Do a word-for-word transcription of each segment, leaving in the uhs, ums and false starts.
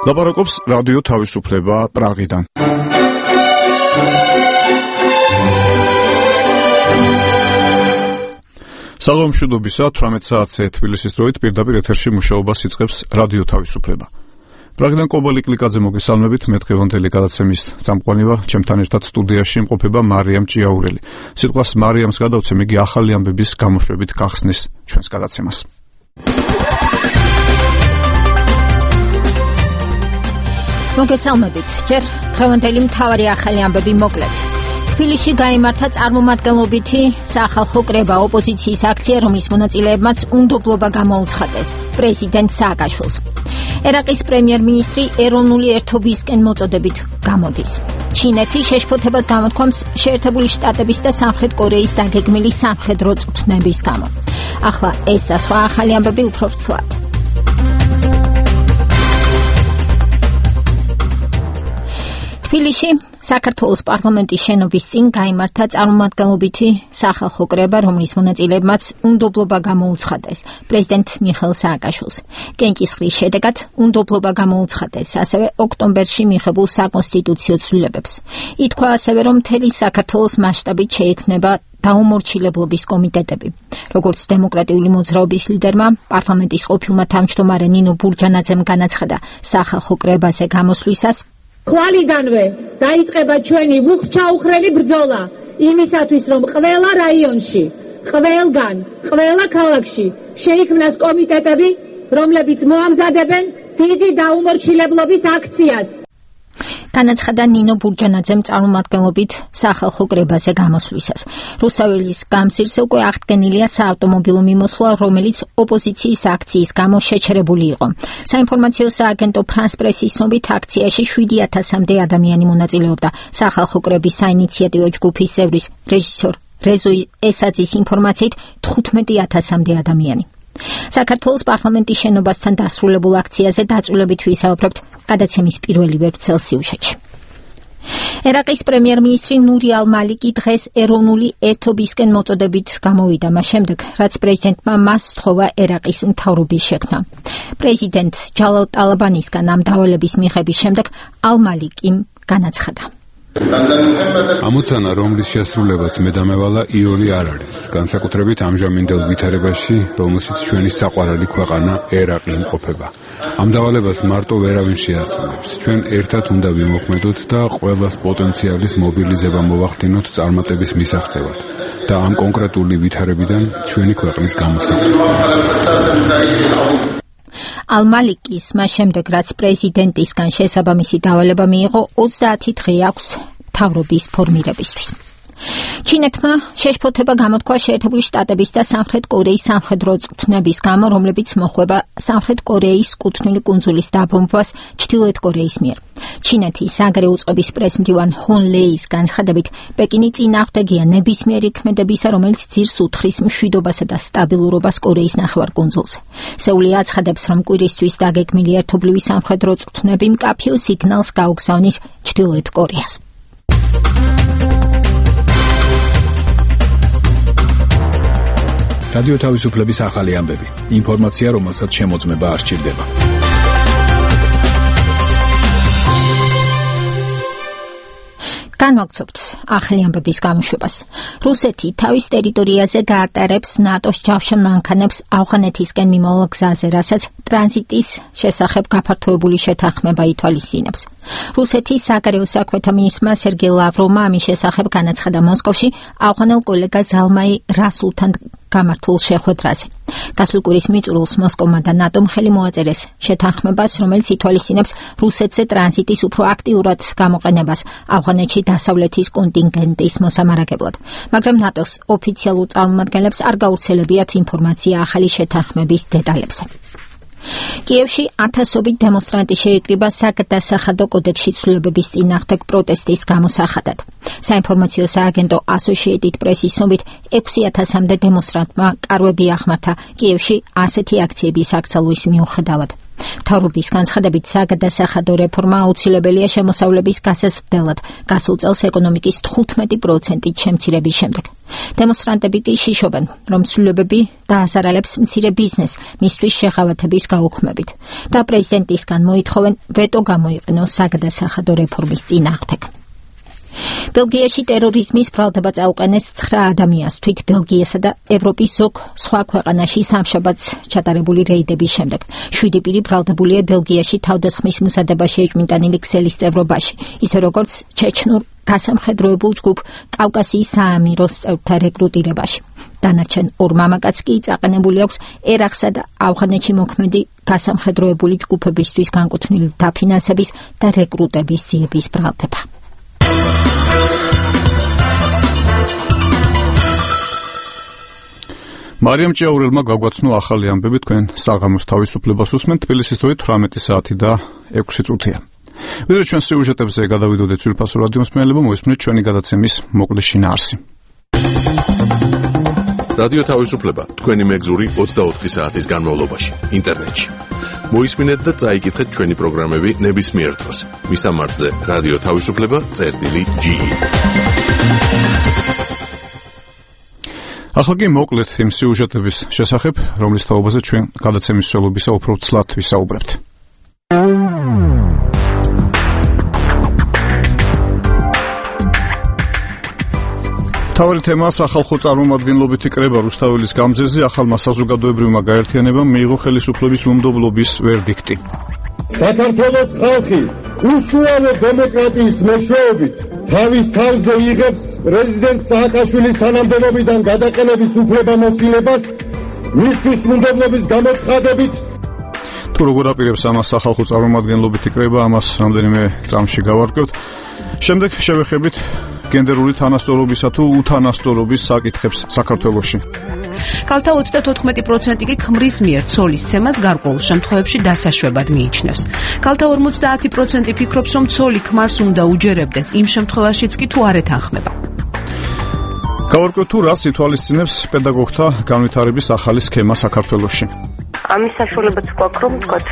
ლაპარაკობს რადიო თავისუფლება პრაღიდან. საღამომშვიდობისა, თვრამეტ საათზე თბილისის დროით პირდაპირ ეთერში მუშაობას იწყებს რადიო თავისუფლება. პრაღიდან კობალი კლიკაძე მოგესალმებით, მე დღევანდელი გადაცემის წამყვანი ვარ, ჩემთან ერთად სტუდიაში იმყოფება მარიამ ჭიაურელი. სიტყვას მარიამს გადავცემ, იგი ახალი ამბების გამოშვებით გახსნის ჩვენს გადაცემას. მოგესალმებით, ჯერ დღევანდელი მთავარი ახალი ამბები მოკლედ. თბილისში გაიმართა წარმომადგენლობითი სახალხო კრება ოპოზიციის აქცია, რომლის მონაწილეებმაც უნდობლობა გამოუცხადეს პრეზიდენტ სააკაშვილს. ერაყის პრემიერ-მინისტრი ეროვნული ერთობისკენ მოწოდებით გამოდის. ჩინეთი შეშფოთებას გამოთქვამს შეერთებული შტატების და სამხრეთ კორეის დაგეგმილი სამხედრო წვრთნების გამო. ახლა ეს და სხვა ახალი ამბები უფრო ცუდად. თბილისში საქართველოს პარლამენტის შენობის წინ გაიმართა წარმომადგენლობითი სახალხო კრება, რომლის მონაწილეებმაც უნდობლობა გამოუცხადეს პრეზიდენტ მიხეილ სააკაშვილს. კენჭისყრის შედეგად უნდობლობა გამოუცხადეს ასევე ოქტომბერში მიღებულ საკონსტიტუციო ცვლილებებს. ითქვა ასევე, რომ მთელი საქართველოს მასშტაბით შეიქმნება დაუმორჩილებლობის კომიტეტები. როგორც დემოკრატიული მოძრაობის ლიდერმა, პარლამენტის ყოფილმა თავმჯდომარე ნინო ბურჯანაძემ განაცხადა სახალხო კრებაზე გამოსვლისას, ხვალიდანვე დაიწყება ჩვენი ვუხჩაუხრელი ბრძოლა იმისათვის, რომ ყველა რაიონში, ყველგან, ყველა ქალაქში შეიქმნას კომიტეტები, რომლებიც მოამზადებენ დიდი დაუმორჩილებლობის აქციას. განაცხადა ნინო ბურჯანაძემ წარმომადგენლობით სახალხო კრებაზე გამოსვლისას. რუსაველის გამზირზე უკვე აღდგენილია საავტომობილო მიმოსვლა, რომელიც ოპოზიციის აქციის გამო შეჩერებული იყო. საინფორმაციო სააგენტო ფრანს პრესის ცნობით აქციაში შვიდი ათასამდე ადამიანი მონაწილეობდა. სახალხო კრების საინიციატივო ჯგუფის წევრის რეჟისორ რეზო ესაძის ინფორმაციით თხუთმეტი ათასამდე ადამიანი. საქართველოს პარლამენტის შენობასთან დასრულებულ აქციაზე დაწვრილებით ვისაუბრებთ გადაცემის პირველი ვერცხელ სიუჟეტში. ერაყის პრემიერ-მინისტრი ნური ალ-მალიკი დღეს ეროვნული ერთობისკენ მოწოდებით გამოვიდა, მას შემდეგ, რაც პრეზიდენტმა მას სთხოვა ერაყის მთავრობის შექმნა. პრეზიდენტ ჯალალ ტალაბანისგან ამ დავალების მიღების შემდეგ ალ-მალიკიმ განაცხადა. ამოცანა, რომლის შესრულებაც მე დამევალა იოლი არ არის, განსაკუთრებით ამჟამინდელ ვითარებაში, რომელშიც ჩვენი საყვარელი ქვეყანა ერაყი იმყოფება. ამ დავალებას მარტო ვერავინ შეასრულებს. ჩვენ ერთად უნდა ვიმოქმედოთ და ყველას პოტენციალის მობილიზება მოვახდინოთ წარმატების მისაღწევად და ამ კონკრეტული ვითარებიდან ჩვენი ქვეყნის გამოსავალი. ალ-მალიკის მას შემდეგ, რაც პრეზიდენტისგან შესაბამისი დავალება მიიღო, ოცდაათი დღე აქვს მთავრობის ფორმირებისთვის. ჩინეთმა შეშფოთება გამოთქვა შეერთებული შტატების და სამხრეთ კორეის სამხედრო წვრთნების გამო, რომლებიც მოხვება სამხრეთ კორეის კუთვნილი კუნძულის დაბომბვას ჩრდილოეთ კორეის მიერ. ჩინეთის საგარეო უწყების პრესმდივან ჰონ ლეის განცხადებით, პეკინი წინააღმდეგია ნებისმიერი ქმედებისა, რომელიც ძირს უთხრის მშვიდობასა და სტაბილურობას კორეის ნახევარკუნძულზე. სეული აცხადებს, რომ კვირისთვის დაგეგმილი ერთობლივი სამხედრო წვრთნები მკაფიო სიგნალს გაუგზავნის ჩრდილოეთ კორეას. რადიო თავისუფლების ახალი ამბები. ინფორმაცია, რომელსაც შემოწმება არ სჭირდება. განვაგრძობთ ახალი ამბების გამოშვებას. რუსეთი თავის ტერიტორიაზე გაატარებს ნატოს ჯავშან მანქანებს ავღანეთისკენ მიმავალ გზაზე, რასაც ტრანზიტის შესახებ გაფართოებული შეთანხმება ითვალისწინებს. რუსეთის საგარეო საქმეთა მინისტრმა სერგეი ლავროვმა ამის შესახებ განაცხადა მოსკოვში ავღანელ კოლეგა ზალმაი რასულთან გამართულ შეხვედრაზე. გასული კვირის მიწურულს მოსკოვმა და ნატომ ხელი მოაწერეს შეთანხმებას, რომელიც ითვალისწინებს რუსეთზე ტრანზიტის უფრო აქტიურად გამოყენებას ავღანეთში დასავლეთის კონტინგენტის მოსამარაგებლად. მაგრამ ნატოს ოფიციალურ წარმომადგენლებს არ გავრცელებიათ ინფორმაცია ახალი შეთანხმების დეტალებზე. კიევში ათასობით დემონსტრანტი შეიკრიბა საგადასახადო კოდექსში ცვლილებების წინააღმდეგ პროტესტის გამოსახადად. საინფორმაციო სააგენტო Associated Press-ის ცნობით ექვსი ათასამდე დემონსტრანტმა კარვები ახმართა კიევში ასეთი აქციების აკრძალვის მიუხედავად. მთავრობის განცხადებით საგადასახადო რეფორმა აუცილებელია შემოსავლების გასაზრდელად გასულ წელს ეკონომიკის თხუთმეტი პროცენტით შემცირების შემდეგ. დემონსტრანტები კი შიშობენ, რომ ცვლილებები დაასარალებს მცირე ბიზნესს მისთვის შეღავათების გაუქმებით და პრეზიდენტისგან მოითხოვენ ვეტო გამოიყენოს საგადასახადო რეფორმის წინააღმდეგ. ბელგიაში ტერორიზმის ბრალდება წაუყენეს ცხრა ადამიანს თვით ბელგიასა და ევროპის ზოგ სხვა ქვეყანაში სამშაბათს ჩატარებული რეიდების შემდეგ. შვიდი პირი ბრალდებულია ბელგიაში თავდასხმის მზადებაში ეჭვმიტანილი ქსელის წევრობაში, ისე როგორც ჩეჩნურ გასამხედროებულ ჯგუფ კავკასიის საამიროს წევრთა რეკრუტირებაში. დანარჩენ ორ მამაკაც კი წაყენებული აქვს ერაყსა და ავღანეთში მოქმედი გასამხედროებული ჯგუფებისთვის განკუთვნილი დაფინანსების და რეკრუტების ძიების ბრალდება. მარიამ ჭიაურელმა გაგვაცნო ახალი ამბები თქვენ საღამოს თავისუფლებას უსმენთ თბილისის დროით თვრამეტი საათი და ექვსი წუთია. ვიდრე ჩვენ სიუჟეტებზე გადავიდოდეთ ძვირფასო რადიო მსმენელებო, მოისმენთ ჩვენი გადაცემის მოკლე შინაარსი. რადიო თავისუფლება თქვენი მეგზური ოცდაოთხი საათის განმავლობაში ინტერნეტში. მოისმინეთ და წაიკითხეთ ჩვენი პროგრამები ნებისმიერ დროს. მისამართზე რადიო თავისუფლება წერტილი ჯი. ახლა კი მოკლედ იმ სიუჟეტების შესახებ, რომლის თაობაზე ჩვენ გადაცემის მსვლელობისა უფრო ცლად ვისაუბრებთ. თავი თემა სახალხო წარმომადგენლობითი კრება რუსთაველის გამზეზე ახალმა საზოგადოებრივმა გაერთიანებამ მიიღო ხელისუფლების უმდობლობის ვერდიქტი. საქართველოს ხალხი უშუალო დემოკრატიის მეშვეობით თავის თავზე იღებს პრეზიდენტ სააკაშვილის თანამდებობიდან გადაყენების უფლებამოსილებას მისთვის უმდობლობის გამოცხადებით. თუ როგორ აპირებს ამას სახალხო წარმომადგენლობითი კრება, ამას რამდენიმე წამში გავარკვევთ. შემდეგ შევეხებით გენდერული თანასწორობისა თუ უთანასწორობის საკითხებს საქართველოში. კალთა ოცდათოთხმეტი პროცენტი კი ქმრის მიერ ცოლის ცემას გარკვეულ შემთხვევებში დასაშვებად მიიჩნევს. კალთა ორმოცდაათი პროცენტი ფიქრობს, რომ ცოლი ქმარს უნდა უჯერებდეს იმ შემთხვევაშიც კი თუ არ ეთანხმება. გავარკვევთ თუ რას ითვალისწინებს პედაგოგთა განვითარების ახალი სქემა საქართველოში. ამის საშუალებაც გვაქვს, რომ თქვათ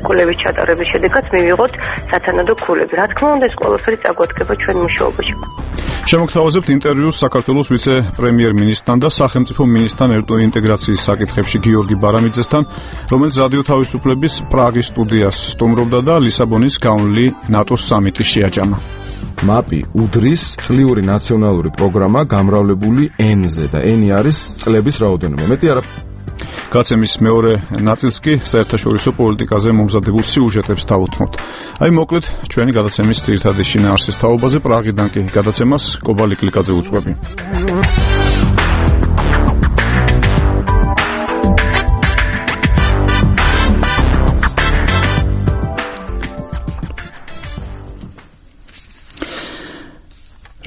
კვლევის ჩატარების შედეგად მივიღოთ სათანადო ქულები. რა თქმა უნდა, ეს ყველაფერი წაგვადგება ჩვენ მუშაობაში. შემოგთავაზებთ ინტერვიუს საქართველოს ვიცე-პრემიერ-მინისტრთან და სახელმწიფო მინისტრთან ერთო ინტეგრაციის საკითხებში გიორგი ბარამიძესთან, რომელიც რადიო თავისუფლების პრაღის სტუდიას სტუმრობდა და ლისაბონის გაუნლი ნატოს სამიტის შეაჯამა. მაპი უდრის წლიური ნაციონალური პროგრამა გამრავლებული ენზე და ენი არის წლების რაოდენობა. მეტი არა. გაცემის მეორე ნაწილს კი საერთაშორისო პოლიტიკაზე მომზადებულ სიუჟეტებს თავუთმოთ. აი მოკლედ ჩვენი გადაცემის ძირითადი შინაარსის თაობაზე პრაღიდან კი გადაცემას კობალი კლიკაძე უძღვები.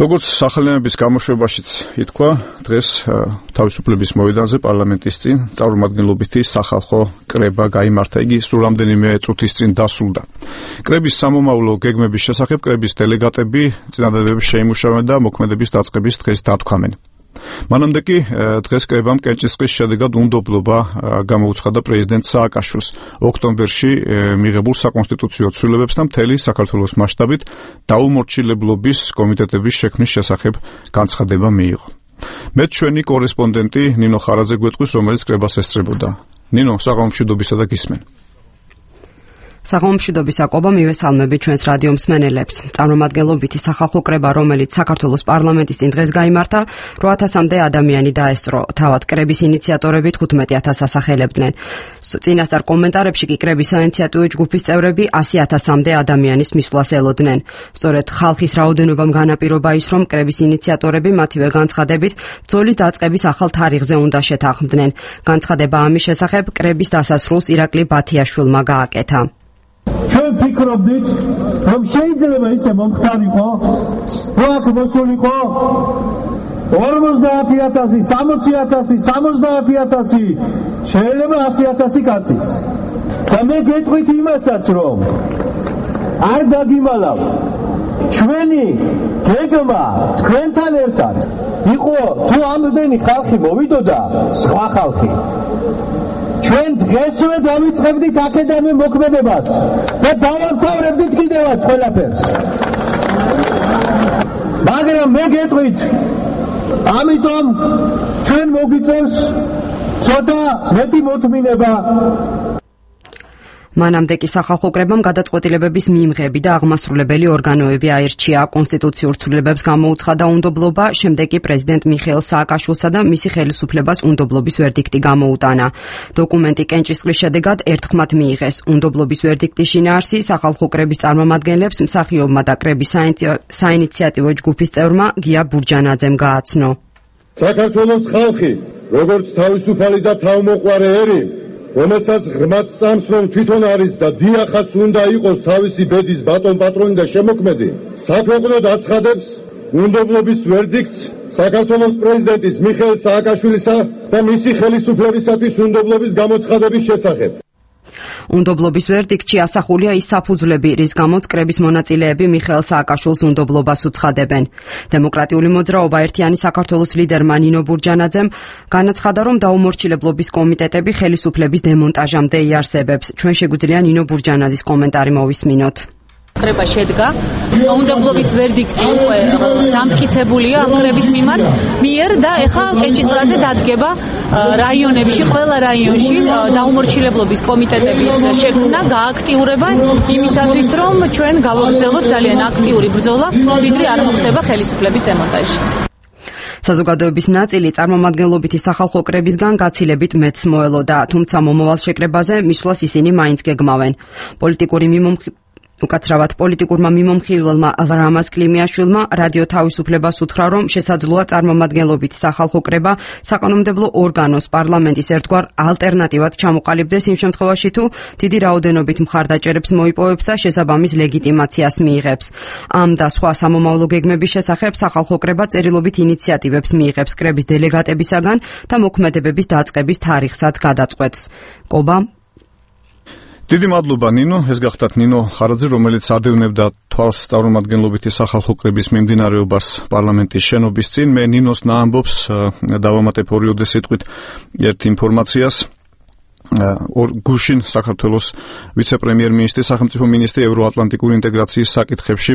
როგორც სახელმწიფოს გამოშვებაშიც ითქვა, დღეს თავისუფლების მოედანზე პარლამენტის წინ წარმომადგენლობითი სახალხო კრება გაიმართა. იგი სულ რამდენიმე წუთის წინ დასრულდა. კრების სამომავლო გეგმების შესახებ კრების დელეგატები წინადადებას შეიმუშავენ და მოქმედების დაწყების დღეს დათქვამენ. მანამდე კი დღეს კრებამ კენჭისყრის შედეგად უნდობლობა გამოუცხადა პრეზიდენტ სააკაშვილს ოქტომბერში მიღებულ საკონსტიტუციო ცვლილებებს და მთელი საქართველოს მასშტაბით დაუმორჩილებლობის კომიტეტების შექმნის შესახებ განცხადება მიიღო. მე ჩვენი კორესპონდენტი ნინო ხარაძე გვეტყვის, რომელიც კრებას ესწრებოდა. ნინო, საღამომშვიდობისა და გისმენ. საღამომშვიდობის აკობა მივესალმები ჩვენს რადიო მსმენელებს. წარმომადგენლობითი სახალხო კრება, რომელიც საქართველოს პარლამენტის წინ დღეს გაიმართა, რვა ათასამდე ადამიანი დაესწრო. თავად კრების ინიციატორები თხუთმეტი ათასს ასახელებდნენ. წინასწარ კომენტარებში კი კრების საინიციატივო ჯგუფის წევრები ასი ათასამდე ადამიანის მისვლას ელოდნენ. სწორედ ხალხის რაოდენობამ განაპირობა ის, რომ კრების ინიციატორები მათივე განცხადებით ბრძოლის დაწყების ახალ თარიღზე უნდა შეთანხმდნენ. განცხადება ამის შესახებ კრების დასასრულს ირაკლი ბათიაშვილმა გააკეთა. ჩვენ ფიქრობდით, რომ შეიძლება ისე მომხდარიყო, რომ აქ მოსულიყო ორმოცდაათი ათასი, სამოცი ათასი, სამოცდაათი ათასი, შეიძლება ასი ათასი კაციც. და მე გეტყვით იმასაც, რომ არ დაგიმალავ. ჩვენი გეგმა თქვენთან ერთად იყო, თუ ამდენი ხალხი მოვიდოდა, სხვა ხალხი. ჩვენ დღესვე დავიწყებდით აქედამე მოქმედებას და დავამთავრებდით კიდევაც ყველაფერს. მაგრამ მე გეტყვით, ამიტომ ჩვენ მოგიწევს ცოტა მეტი მოთმინება. მანამდე კი სახალხო კრებამ გადაწყვეტილებების მიმღები და აღმასრულებელი ორგანოები აირჩია. კონსტიტუციურ ცვლილებებს გამოუცხადა უნდობლობა, შემდეგ კი პრეზიდენტ მიხეილ სააკაშვილსა და მისი ხელისუფლებას უნდობლობის ვერდიქტი გამოუტანა. დოკუმენტი კენჭისყრის შედეგად ერთხმად მიიღეს. უნდობლობის ვერდიქტის შინაარსი სახალხო კრების წარმომადგენლებს, მსახიობმა და კრების საინიციატივო ჯგუფის წევრმა გია ბურჯანაძემ გააცნო. საქართველოს ხალხი, როგორც თავისუფალი და თავმოყვარე ერი, რომელსაც ღრმად წამს, რომ თვითონ არის და დიახაც უნდა იყოს თავისი ბედის ბატონ პატრონი და შემოქმედი, საქვეყნოდ აცხადებს უნდობლობის ვერდიქტს საქართველოს პრეზიდენტის მიხეილ სააკაშვილისა და მისი ხელისუფლებისათვის უნდობლობის გამოცხადების შესახებ. უნდობლობის ვერდიქტში ასახულია ის საფუძვლები, რის გამოც კრების მონაწილეები მიხეილ სააკაშვილს უნდობლობას უცხადებენ. დემოკრატიული მოძრაობა ერთიანი საქართველოს ლიდერმა ნინო ბურჯანაძემ განაცხადა, რომ დაუმორჩილებლობის კომიტეტები ხელისუფლების დემონტაჟამდე იარსებებს. ჩვენ შეგვიძლია ნინო ბურჯანაძის კომენტარი მოვისმინოთ. კრება შედგა, უნდობლობის ვერდიქტი უკვე დამტკიცებულია ამ კრების მიმართ მიერ და ეხლა კენჭისყრაზე დადგება რაიონებში, ყველა რაიონში დაუმორჩილებლობის კომიტეტების შექმნა, გააქტიურება იმისათვის, რომ ჩვენ გავაგრძელოთ ძალიან აქტიური ბრძოლა, ვიდრე არ მოხდება ხელისუფლების დემონტაჟი. საზოგადოების ნაწილი წარმომადგენლობითი სახალხო კრებისგან გაცილებით მეტს მოელოდა, თუმცა მომავალ შეკრებაზე მისვლას ისინი მაინც გეგმავენ. პოლიტიკური მიმომხილველი უკაცრავად პოლიტიკურმა მიმომხილველმა რამაზ კლიმიაშვილმა რადიო თავისუფლებას უთხრა, რომ შესაძლოა წარმომადგენლობითი სახალხო კრება საკანონმდებლო ორგანოს პარლამენტის ერთგვარ ალტერნატივად ჩამოყალიბდეს იმ შემთხვევაში, თუ დიდი რაოდენობით მხარდაჭერებს მოიპოვებს და შესაბამის ლეგიტიმაციას მიიღებს. ამ და სხვა სამომავლო გეგმების შესახებ სახალხო კრება წერილობით ინიციატივებს მიიღებს კრების დელეგატებისაგან და მოქმედებების დაწყების თარიღსაც გადაწყვეტს. კობა დიდი მადლობა ნინო, ეს გახდათ ნინო ხარაძე, რომელიც ადევნებდა თვალს წარმომადგენლობითი სახალხო კრების მიმდინარეობას პარლამენტის შენობის წინ. მე ნინოს ნაამბობს დავამატებ ორიოდე სიტყვით ერთ ინფორმაციას. გუშინ საქართველოს ვიცე-პრემიერ-მინისტრი, სახელმწიფო მინისტრი ევროატლანტიკური ინტეგრაციის საკითხებში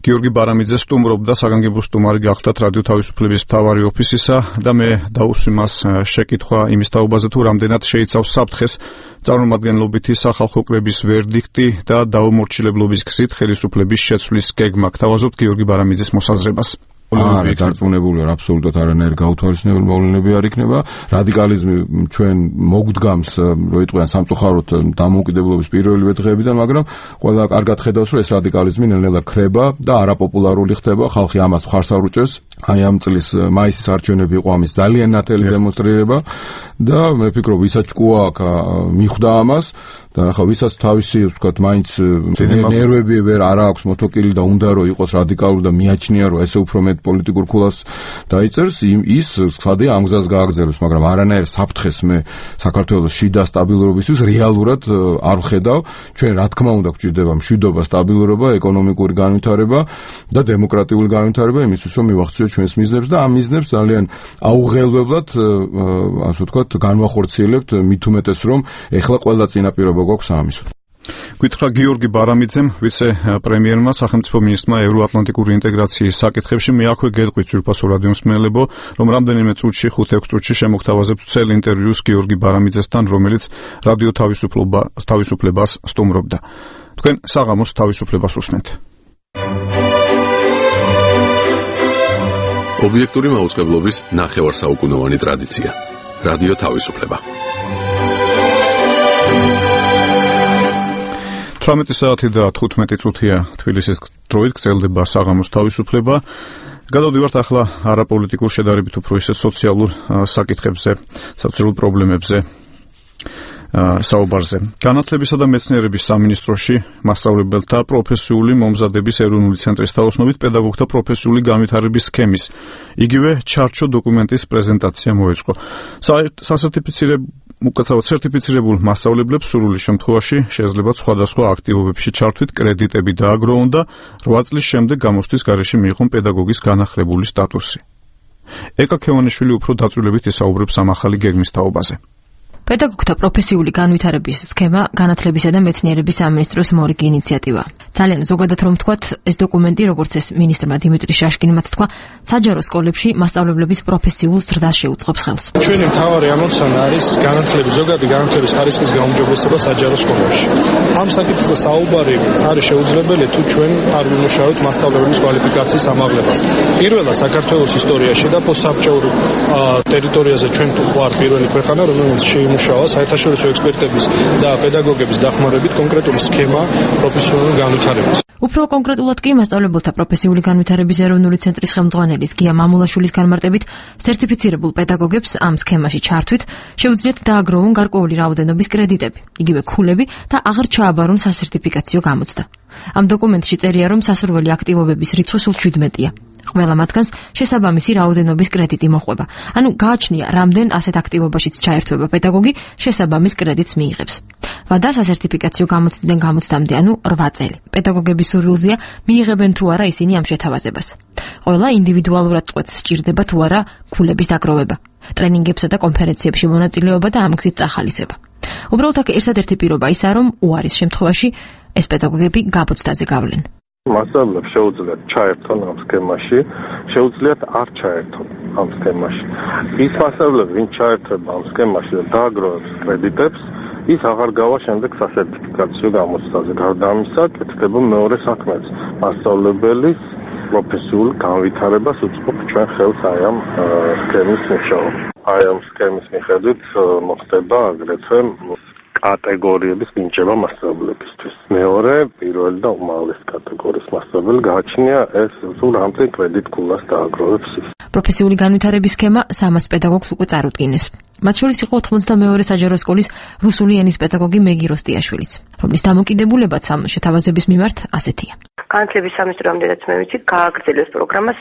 გიორგი ბარამიძე სტუმრობდა, საგანგებო სტუმარი გახდათ რადიო თავისუფლების მთავარი ოფისისა და მე დაუსვი მას შეკითხვა იმის თაობაზე, თუ რამდენად შეიცავს საფრთხეს წარმომადგენლობითი სახალხო კრების ვერდიქტი და დაუმორჩილებლობის გზით ხელისუფლების შეცვლის გეგმა. გთავაზობთ გიორგი ბარამიძის მოსაზრებას. არა, დარწმუნებული ვარ, აბსოლუტურად არანაირი გაუთავისუფლებელი მოვლენები არ იქნება. რადიკალიზმი ჩვენ მოგვდგამს, რო იტყვიან სამწუხაროდ დამოუკიდებლობის პირველივე დღეებიდან, მაგრამ ყველა კარგად ხედავს, რომ ეს რადიკალიზმი ნელ-ნელა ქრება და არაპოპულარული ხდება, ხალხი ამას მხარს არ უჭერს. აი ამ წლის მაისის არჩევნები იყო ამის ძალიან ნათელი დემონსტრირება და მე ვფიქრობ, ვისაც ჭკუა აქ მიხვდა ამას და ახლა ვისაც თავისი, ვთქვათ, მაინც ნერვები ვერ არ აქვს მოთოკილი და უნდა რომ იყოს რადიკალური და მიაჩნია, რომ ესე უფრო მეტ პოლიტიკურ ქულას დაიწერს, ის ხადია ამ გზას გააგრძელებს, მაგრამ არანაირ საფრთხეს მე საქართველოს შიდა სტაბილურობისთვის რეალურად არ ვხედავ. ჩვენ რა თქმა უნდა გვჭირდება მშვიდობა, სტაბილურობა, ეკონომიკური განვითარება და დემოკრატიული განვითარება იმისთვის, რომ მივახციოთ ჩვენს მიზნებს და ამ მიზნებს ძალიან აუღელვებლად, ასე ვთქვათ, განვახორციელებთ, მით უმეტეს რომ ეხლა ყველა წინაპირობა გვაქვს ამის. გითხრა გიორგი ბარამიძემ, ვიცე-პრემიერმა, სახელმწიფო მინისტრმა ევროატლანტიკური ინტეგრაციის საკითხებში. მე აქვე გეტყვით ძვირფასო რადიო მსმენელებო, რომ რამდენიმე წუთში, ხუთ-ექვს წუთში შემოგთავაზებთ წელ ინტერვიუს გიორგი ბარამიძესთან, რომელიც რადიო თავისუფლება თავისუფლებას სტუმრობდა. თქვენ საღამოს თავისუფლებას უსმენთ. ობიექტური მაუწყებლობის ნახევარსაუკუნოვანი ტრადიცია. რადიო თავისუფლება. თვრამეტი საათი და თხუთმეტი წუთია თბილისის დროით გრძელდება საღამოს თავისუფლება. გადავდივართ ახლა არაპოლიტიკურ შედარებით უფრო ისე სოციალურ საკითხებზე, სოციალურ პრობლემებზე საუბარზე. განათლებისა და მეცნიერების სამინისტროში მასწავლებელთა პროფესიული მომზადების ეროვნული ცენტრის თაოსნობით პედაგოგთა პროფესიული განვითარების სქემის იგივე ჩარჩო დოკუმენტის პრეზენტაცია მოეწყო. სასერტიფიცირებულ უკაცრავად სერტიფიცირებულ მასწავლებლებს სრული შემთხვევაში შესაძლებლად სხვადასხვა აქტივობებში ჩართვით კრედიტები დააგროვონ და რვა წლის შემდეგ გამოცდის გარეშე მიიღონ პედაგოგის განახლებული სტატუსი. ეკა ქევანიშვილი უფრო დაწვრილებით ისაუბრებს ამ ახალი გეგმის თაობაზე. პედაგოგთა პროფესიული განვითარების სქემა განათლებისა და მეცნიერების სამინისტროს მორიგი ინიციატივა. ძალიან ზოგადად რომ ვთქვათ, ეს დოკუმენტი, როგორც ეს მინისტრმა დიმიტრი შაშკინმაც თქვა, საჯარო სკოლებში მასწავლებლების პროფესიულ ზრდას შეუწყობს ხელს. ჩვენი მთავარი ამოცანა არის განათლების ზოგადი განათლების ხარისხის გაუმჯობესება საჯარო სკოლებში. ამ საკითხზე საუბარი არის შეუძლებელი თუ ჩვენ არ ვიმუშავებთ მასწავლებლების კვალიფიკაციის ამაღლებას. პირველად საქართველოს ისტორიაში და პოსტსაბჭოურ ტერიტორიაზე ჩვენ თუ ვარ პირველი ქვეყანა, რომელიც შეიმუშავა საერთაშორისო ექსპერტების და პედაგოგების დახმარებით კონკრეტული სქემა პროფესიონალური განვითარების. უფრო კონკრეტულად კი მასწავლებელთა პროფესიული განვითარების ეროვნული ცენტრის ხელმძღვანელის გია მამულაშვილის განმარტებით, სერტიფიცირებულ პედაგოგებს ამ სქემაში ჩართვით შეუძლიათ დააგროვონ გარკვეული რაოდენობის კრედიტები, იგივე ქულები და აღარ ჩააბარონ სასერტიფიკაციო გამოცდა. ამ დოკუმენტში წერია, რომ სასურველი აქტივობების რიცხვი სულ შვიდმეტია. ყველა მათგანს შესაბამისი რაოდენობის კრედიტი მოყვება. ანუ გააჩნია, რამდენ ასეთ აქტივობაშიც ჩაერთვება პედაგოგი, შესაბამის კრედიტს მიიღებს. ვადა სასერტიფიკაციო გამოცდიდან გამოცდამდე, ანუ რვა წელი. პედაგოგების სურვილზეა მიიღებენ თუ არა ისინი ამ შეთავაზებას. ყველა ინდივიდუალურად წყვეტს სჭირდება თუ არა ქულების დაგროვება. ტრენინგებსა და კონფერენციებში მონაწილეობა და ამ გზით წახალისება. უბრალოდ აქ ერთადერთი პირობა ისაა, რომ უარის შემთხვევაში ეს პედაგოგები გამოცდაზე გავლენ. მასწავლებლებს შეუძლიათ ჩაერთონ ამ სქემაში, შეუძლიათ არ ჩაერთონ ამ სქემაში. ის მასწავლებლები, ვინც ჩაერთვება ამ სქემაში და დააგროვებს კრედიტებს, ის აღარ გავა შემდეგ სასერტიფიკაციო გამოცდაზე. გარდა ამისა, კეთდება მეორე საქმეც. მასწავლებლის პროფესიულ განვითარებას უწყობ ჩვენ ხელს აი ამ სქემის მუშაობა. აი ამ სქემის მიხედვით მოხდება აგრეთვე კატეგორიების მინიჭება მასწავლებლებისთვის. მეორე, პირველი და უმაღლესი კატეგორიის მასწავლებელი გააჩნია ეს თუ რამდენ კრედიტ ქულას დააგროვებს ის. პროფესიული განვითარების სქემა სამას პედაგოგს უკვე წარუდგინეს. მათ შორის იყო ოთხმოცდამეორე საჯარო სკოლის რუსული ენის პედაგოგი მეგი როსტიაშვილიც, რომლის დამოკიდებულებაც ამ შეთავაზების მიმართ ასეთია. განათლების სამინისტრო ამდენად მე ვიცი, გააგრძელეს პროგრამას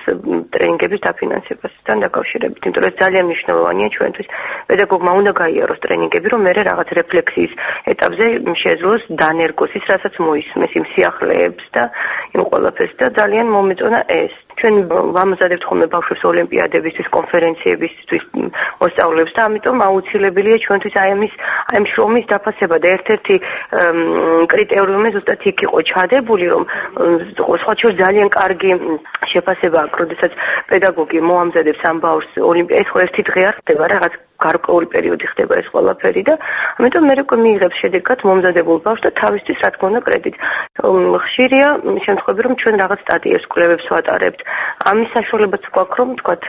ტრენინგების დაფინანსებასთან დაკავშირებით, იმიტომ რომ ძალიან მნიშვნელოვანია ჩვენთვის პედაგოგმა უნდა გაიაროს ტრენინგები, რომ მე რაღაც რეფლექსიის ეტაპზე შეძლოს დანერგოს ის, რასაც მოისმეს იმ სიახლეებს და იმ ყველაფერს და ძალიან მომეწონა ეს. ჩვენ ვამზადებთ ხოლმე ბავშვებს ოლიმპიადებისთვის, კონფერენციებისთვის მოსწავლეებს და ამიტომ აუცილებელია ჩვენთვის აი ამის აი ამ შრომის დაფასება და ერთ-ერთი კრიტერიუმი ზუსტად იქ იყო ჩადებული, რომ სხვა შორის ძალიან კარგი შეფასება აქვს, როდესაც პედაგოგი მოამზადებს ამ ბავშვს ოლიმპიადას, ეს ხო ერთი დღე არ ხდება, რაღაც გარკვეული პერიოდი ხდება ეს ყველაფერი და ამიტომ მე უკვე მიიღებს შედეგად მომზადებულ ბავშვს და თავისთვის რა თქმა უნდა კრედიტს. ხშირია შემთხვევები, რომ ჩვენ რაღაც სტატიებს კვლევებს ვატარებთ. ამის საშუალებაც გვაქვს, რომ თქვათ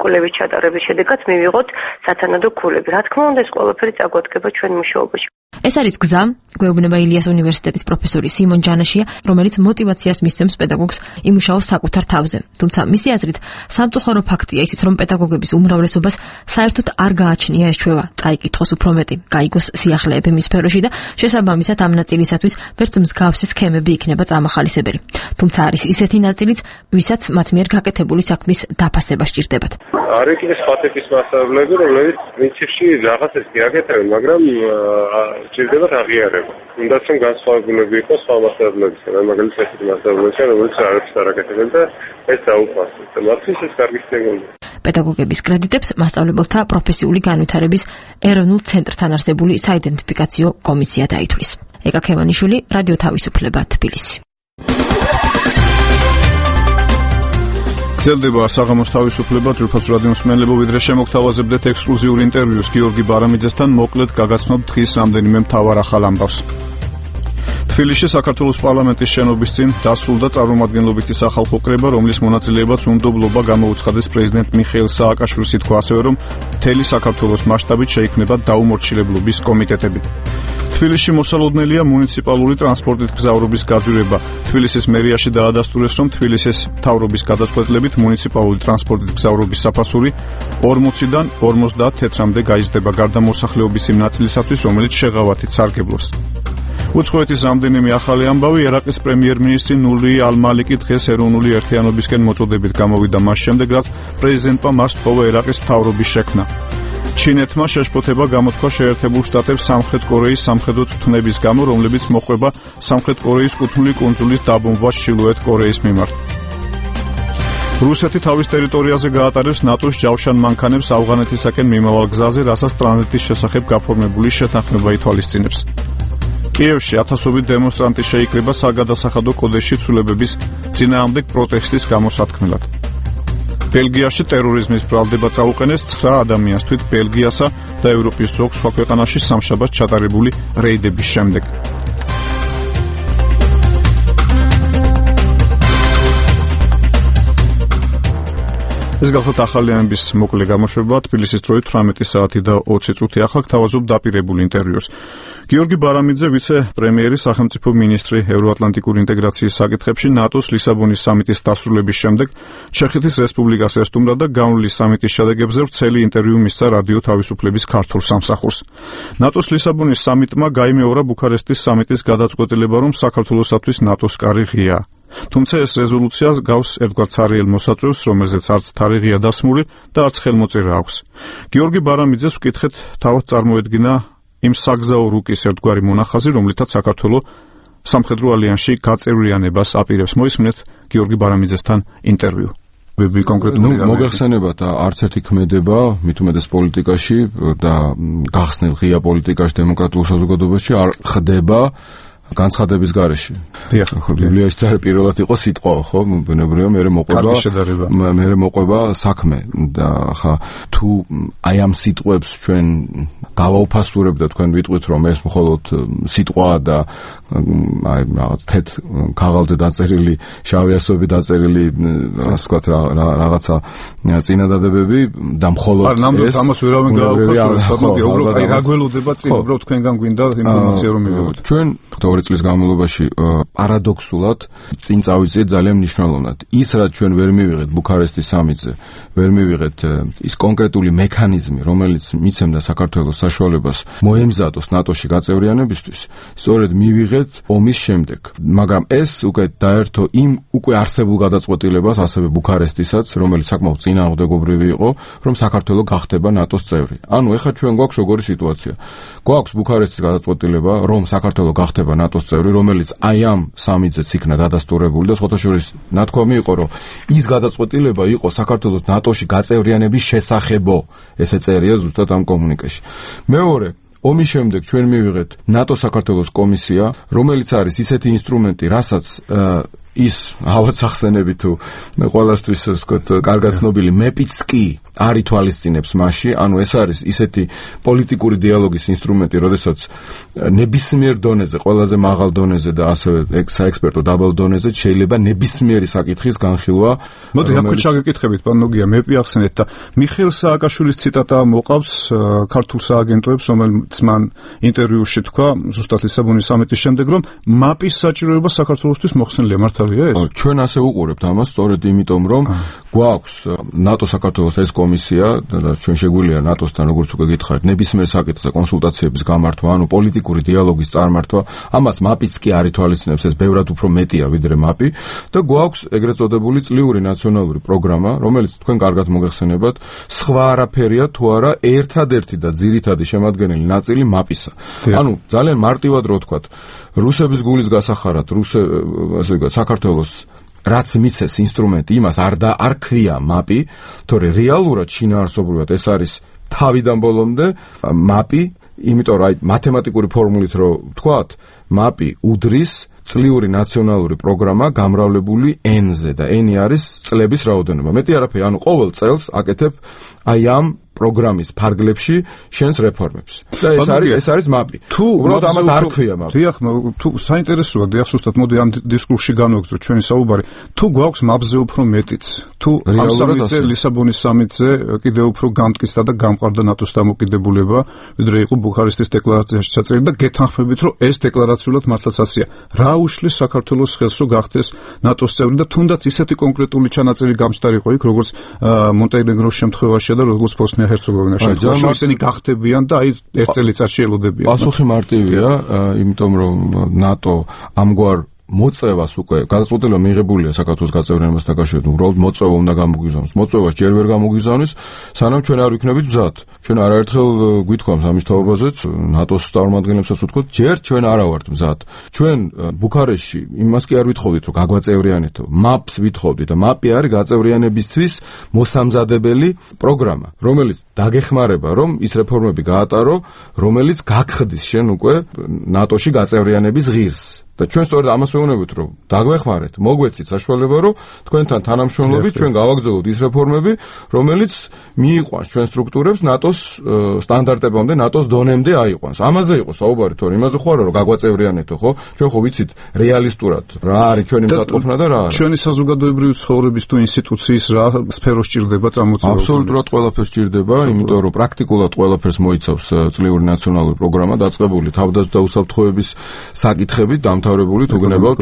კვლევის ჩატარების შედეგად მივიღოთ სათანადო ქულები. რა თქმა უნდა ეს ყველაფერი წაგვადგება ჩვენ მუშაობაში. ეს არის გზა, გვეუბნება ილიას უნივერსიტეტის პროფესორი სიმონ ჯანაშია, რომელიც мотиваციას მისცემს პედაგოგს იმუშაოს საკუთარ თავზე. თუმცა მისი აზრით, სამწუხარო ფაქტია ისიც, რომ პედაგოგების უმრავლესობას საერთოდ არ გააჩნია ეს ჩვევა, წაიკითხოს უფრო მეტი, გაიგოს სიახლეები მის სფეროში და შესაბამისად ამ ნაწილისათვის ვერც მსგავსი სქემები იქნება წამახალისებელი. თუმცა არის ისეთი ნაწილიც, ვისაც მათ მიერ გაკეთებული საქმის დაფასება სჭირდებათ. არ იქნება სხვა ტიპის მასწავლებლები, რომლებიც პრინციპში რაღაცას გიაკეთებენ, მაგრამ სჭირდებათ აღიარება. უნდა რომ განსხვავებულები იყოს სხვა მასწავლებლებისგან, მაგალითად ესეთი მასწავლებლებისგან, რომელიც არაფერს არ აკეთებენ და ეს დაუპასუხეს. მათთვის ეს კარგი სიგნალია. პედაგოგების კრედიტებს მასწავლებელთა პროფესიული განვითარების ეროვნულ ცენტრთან არსებული საიდენტიფიკაციო კომისია დაითვლის. ეკა ქევანიშვილი, რადიო თავისუფლება, თბილისი. გრძელდება საღამოს თავისუფლება, ძვირფას რადიოს მსმენელებო, ვიდრე შემოგთავაზებდეთ ექსკლუზიურ ინტერვიუს გიორგი ბარამიძესთან, მოკლედ გაგაცნობთ დღის რამდენიმე მთავარ ახალ ამბავს. თბილისში საქართველოს პარლამენტის შენობის წინ დასრულდა წარმომადგენლობითი სახალხო კრება, რომლის მონაწილეებაც უნდობლობა გამოუცხადეს პრეზიდენტ მიხეილ სააკაშვილს. ითქვა ასევე, რომ მთელი საქართველოს მასშტაბით შეიქმნება დაუმორჩილებლობის კომიტეტები. თბილისში მოსალოდნელია მუნიციპალური ტრანსპორტით გზავრობის გაძვირება. თბილისის მერიაში დაადასტურეს, რომ თბილისის მთავრობის გადაწყვეტილებით მუნიციპალური ტრანსპორტით გზავრობის საფასური ორმოციდან ორმოცდაათ თეთრამდე გაიზრდება გარდამოსახლეობის იმ ნაწილისათვის, რომელიც შეღავათით სარგებლობს. უცხოეთის რამდენიმე ახალი ამბავი. ერაყის პრემიერ-მინისტრი ნური ალ-მალიკი დღეს ეროვნული ერთიანობისკენ მოწოდებით გამოვიდა მას შემდეგ, რაც პრეზიდენტმა მას თხოვა ერაყის მთავრობის შექმნა. ჩინეთმა შეშფოთება გამოთქვა შეერთებულ შტატებს სამხრეთ კორეის სამხედრო წვრთნების გამო, რომლებიც მოყვება სამხრეთ კორეის კუთვნილი კუნძულის დაბომბვას ჩრდილოეთ კორეის მიმართ. რუსეთი თავის ტერიტორიაზე გაატარებს ნატოს ჯავშან მანქანებს ავღანეთისაკენ მიმავალ გზაზე, რასაც ტრანზიტის შესახებ გაფორმებული შეთანხმება ითვალისწინებს. კიევში ათასობით დემონსტრანტი შეიკრიბა საგადასახადო კოდექსში ცვლილებების წინააღმდეგ პროტესტის გამოსათქმელად. ბელგიაში ტერორიზმის ბრალდება წაუყენეს ცხრა ადამიანს თვით ბელგიასა და ევროპის ზოგ სხვა ქვეყანაში სამშაბათს ჩატარებული რეიდების შემდეგ. ეს გახლავთ ახალიანების მოკლე გამოშვება თბილისის დროით თვრამეტი საათი და ოცი წუთი. ახლა გთავაზობ დაპირებულ ინტერვიუს. გიორგი ბარამიძე, ვიცე-პრემიერი, სახელმწიფო მინისტრი ევროატლანტიკური ინტეგრაციის საკითხებში, ნატოს ლისაბონის სამიტის დასრულების შემდეგ ჩეხეთის რესპუბლიკას ესტუმრა და განვლილი სამიტის შედეგებზე ვრცელი ინტერვიუ მისცა რადიო თავისუფლების ქართულ სამსახურს. ნატოს ლისაბონის სამიტმა გაიმეორა ბუქარესტის სამიტის გადაწყვეტილება, რომ საქართველოსათვის ნატოს კარი ღიაა. თუმცა ეს რეზოლუცია გავს ერთგვარ ცარიელ მოსაწვევს, რომელზეც არც თარიღია დასმული და არც ხელმოწერა აქვს. გიორგი ბარამიძეს ვკითხეთ, თავად წარმოედგინა იმ საგზაო რუკის ერთგვარი მონახაზი, რომლითაც საქართველო სამხედრო ალიანსში გაწევრიანებას აპირებს. მოისმინეთ გიორგი ბარამიძესთან ინტერვიუ. კონკრეტულად მოგეხსენებათ, არც ერთი ქმედება, მით უმეტეს პოლიტიკაში და გახსნილ ღია პოლიტიკაში, დემოკრატიულ საზოგადოებაში არ ხდება განცხადების გარეშე. დიახ, ბიბლიაში წარი პირველად იყო სიტყვა, ხო? ბუნებრივია მე მოყვება მე მოყვება საქმე და ხა თუ აი ამ სიტყვებს ჩვენ გავაუფასურებთ და თქვენ ვიტყვით რომ ეს მხოლოდ სიტყვაა და აი რაღაც თეთ ქაღალდზე დაწერილი, შავი ასოები დაწერილი, ასე ვთქვათ, რაღაცა წინადადებები და მხოლოდ ეს ნამდვილად ამას ვერავინ გააუფასურებს, მაგრამ უბრალოდ აი რა გველოდება წინ, უბრალოდ თქვენგან გვინდა ინფორმაცია რომ მივიღოთ. ჩვენ ორი წლის განმავლობაში პარადოქსულად წინ წავიწიეთ ძალიან მნიშვნელოვნად. ის რაც ჩვენ ვერ მივიღეთ ბუქარესტის სამიტზე, ვერ მივიღეთ ის კონკრეტული მექანიზმი, რომელიც მიცემდა საქართველოს საშუალებას მოემზადოს ნატოში გაწევრიანებისთვის, სწორედ მივიღეთ ომის შემდეგ. მაგრამ ეს უკვე დაერთო იმ უკვე არსებულ გადაწყვეტილებას, ასევე ბუქარესტისაც, რომელიც საკმაოდ წინააღმდეგობრივი იყო, რომ საქართველო გახდება ნატოს წევრი. ანუ ეხლა ჩვენ გვაქვს როგორი სიტუაცია? გვაქვს ბუქარესტის გადაწყვეტილება, რომ საქართველო გახდება ნატოს წევრი, რომელიც აი ამ სამიტზეც იქნა დადასტურებული და სხვათაშორის ნათქვამი იყო, რომ ის გადაწყვეტილება იყო საქართველოს ნატოში გაწევრიანების შესახებო. ესე წერია ზუსტად ამ კომუნიკეში. მეორე, ომის შემდეგ ჩვენ მივიღეთ ნატო-საქართველოს კომისია, რომელიც არის ისეთი ინსტრუმენტი, რასაც ის ავად სახსენები თუ ყველასთვის ვთქვათ კარგად ცნობილი მეპიც კი არ ითვალისწინებს მასში, ანუ ეს არის ისეთი პოლიტიკური დიალოგის ინსტრუმენტი, როდესაც ნებისმიერ დონეზე, ყველაზე მაღალ დონეზე და ასევე საექსპერტო დაბალ დონეზე შეიძლება ნებისმიერი საკითხის განხილვა. მოდი აქვე ჩაგეკითხებით, პან ნოგია, მეპი ახსენეთ და მიხეილ სააკაშვილის ციტატა მოყავს ქართულ სააგენტოებს, რომელიც მან ინტერვიუში თქვა ზუსტად ლისაბონის სამიტის შემდეგ, რომ მაპის საჭიროება საქართველოსთვის მოხსნილია. მართალია ეს? ჩვენ ასე უყურებთ ამას, სწორედ იმიტომ, რომ გვაქვს ნატო-საქართველოს ეს კომისია და ჩვენ შეგვიძლია ნატოსთან, როგორც უკვე გითხარით, ნებისმიერ საკითხზე კონსულტაციების გამართვა, ანუ პოლიტიკური დიალოგის წარმართვა, ამას მაპიც კი არ ითვალისწინებს, ეს ბევრად უფრო მეტია ვიდრე მაპი და გვაქვს ეგრეთ წოდებული წლიური ნაციონალური პროგრამა, რომელიც თქვენ კარგად მოგეხსენებათ, სხვა არაფერია თუ არა ერთადერთი და ძირითადი შემადგენელი ნაწილი მაპისა. ანუ ძალიან მარტივად რო ვთქვათ, რუსების გულის გასახარად, რუსე ასე ვთქვათ, საქართველოს რაც მიცეს ინსტრუმენტი, იმას არ და არ ქვია მაპი, თორე რეალურად შინაარსობრივად ეს არის თავიდან ბოლომდე მაპი, იმიტომ რომ აი მათემატიკური ფორმულით რო ვთქვათ, მაპი უდრის წლიური ნაციონალური პროგრამა გამრავლებული N-ზე და N-ი არის წლების რაოდენობა. მეტი არაფერი, ანუ ყოველ წელს აკეთებ აი ამ პროგრამის ფარგლებში შენს რეფორმებს. და ეს არის ეს არის მაპი. თუ უბრალოდ ამას არ ქვია მაპი. დიახ, თუ საინტერესოა, დიახ, სუსტად მოდი ამ დისკურსში განვაგრძო ჩვენი საუბარი. თუ გვაქვს მაპზე უფრო მეტიც, თუ ამ სამიტზე, ლისაბონის სამიტზე კიდევ უფრო გამტკიცდა და გამყარდა ნატოს დამოკიდებულება, ვიდრე იყო ბუქარესტის დეკლარაციაში ჩაწერილი და გეთანხმებით, რომ ეს დეკლარაციულად მართლაც ასეა. რა უშლის საქართველოს ხელს, რომ გახდეს ნატოს წევრი და თუნდაც ისეთი კონკრეტული ჩანაწერი გამსტარიყო იქ, როგორც მონტენეგროს შემთხვევაშია და როგორც ბოსნია ჰერცეგოვინას შემთხვევაში, ისინი გახდებიან და აი ერთ წელიწადში ელოდებიან. პასუხი მარტივია, იმიტომ რომ ნატო ამგვარ მოწევას უკვე გადაწყვეტილება მიიღებულია საქართველოს გაწევრიანებას დაკავშირებით, უბრალოდ მოწევა უნდა გამოგვიზავნოს. მოწევას ჯერ ვერ გამოგვიზავნის, სანამ ჩვენ არ ვიქნებით მზად. ჩვენ არაერთხელ გვითქვამს ამის თაობაზეც, ნატოს წარმომადგენლებსაც ვთქვათ, ჯერ ჩვენ არა ვართ მზად. ჩვენ ბუქარესტში იმას კი არ ვითხოვდით, რომ გაგვაწევრიანეთო, მაპს ვითხოვდით და მაპი არის გაწევრიანებისთვის მოსამზადებელი პროგრამა, რომელიც დაგეხმარება, რომ ის რეფორმები გაატარო, რომელიც გაგხდის შენ უკვე ნატოში გაწევრიანების ღირს. და ჩვენ სწორედ ამას ვეუბნებით, რომ დაგვეხმარეთ, მოგვეცით საშუალება, რომ თქვენთან თანამშრომლობით ჩვენ გავაგრძელოთ ის რეფორმები, რომელიც მიიყვანს ჩვენ სტრუქტურებს ნატოს სტანდარტებამდე, ნატოს დონემდე აიყვანს. ამაზე იყო საუბარი, თორე იმაზე ხო არა, რომ გაგვაწევრიანეთო, ხო? ჩვენ ხო ვიცით რეალისტურად რა არის ჩვენი მზადყოფნა და რა არა. ჩვენი საზოგადოებრივი ცხოვრების თუ ინსტიტუციის რა სფეროს ჭირდება წამოწევა? აბსოლუტურად ყველაფერს ჭირდება, იმიტომ რომ პრაქტიკულად ყველაფერს მოიცავს წლიური ნაციონალური პროგრამა დაწყებული თავდაცვა და უსაფრთხოების საკითხებით დამთავრებული თუ გნებავთ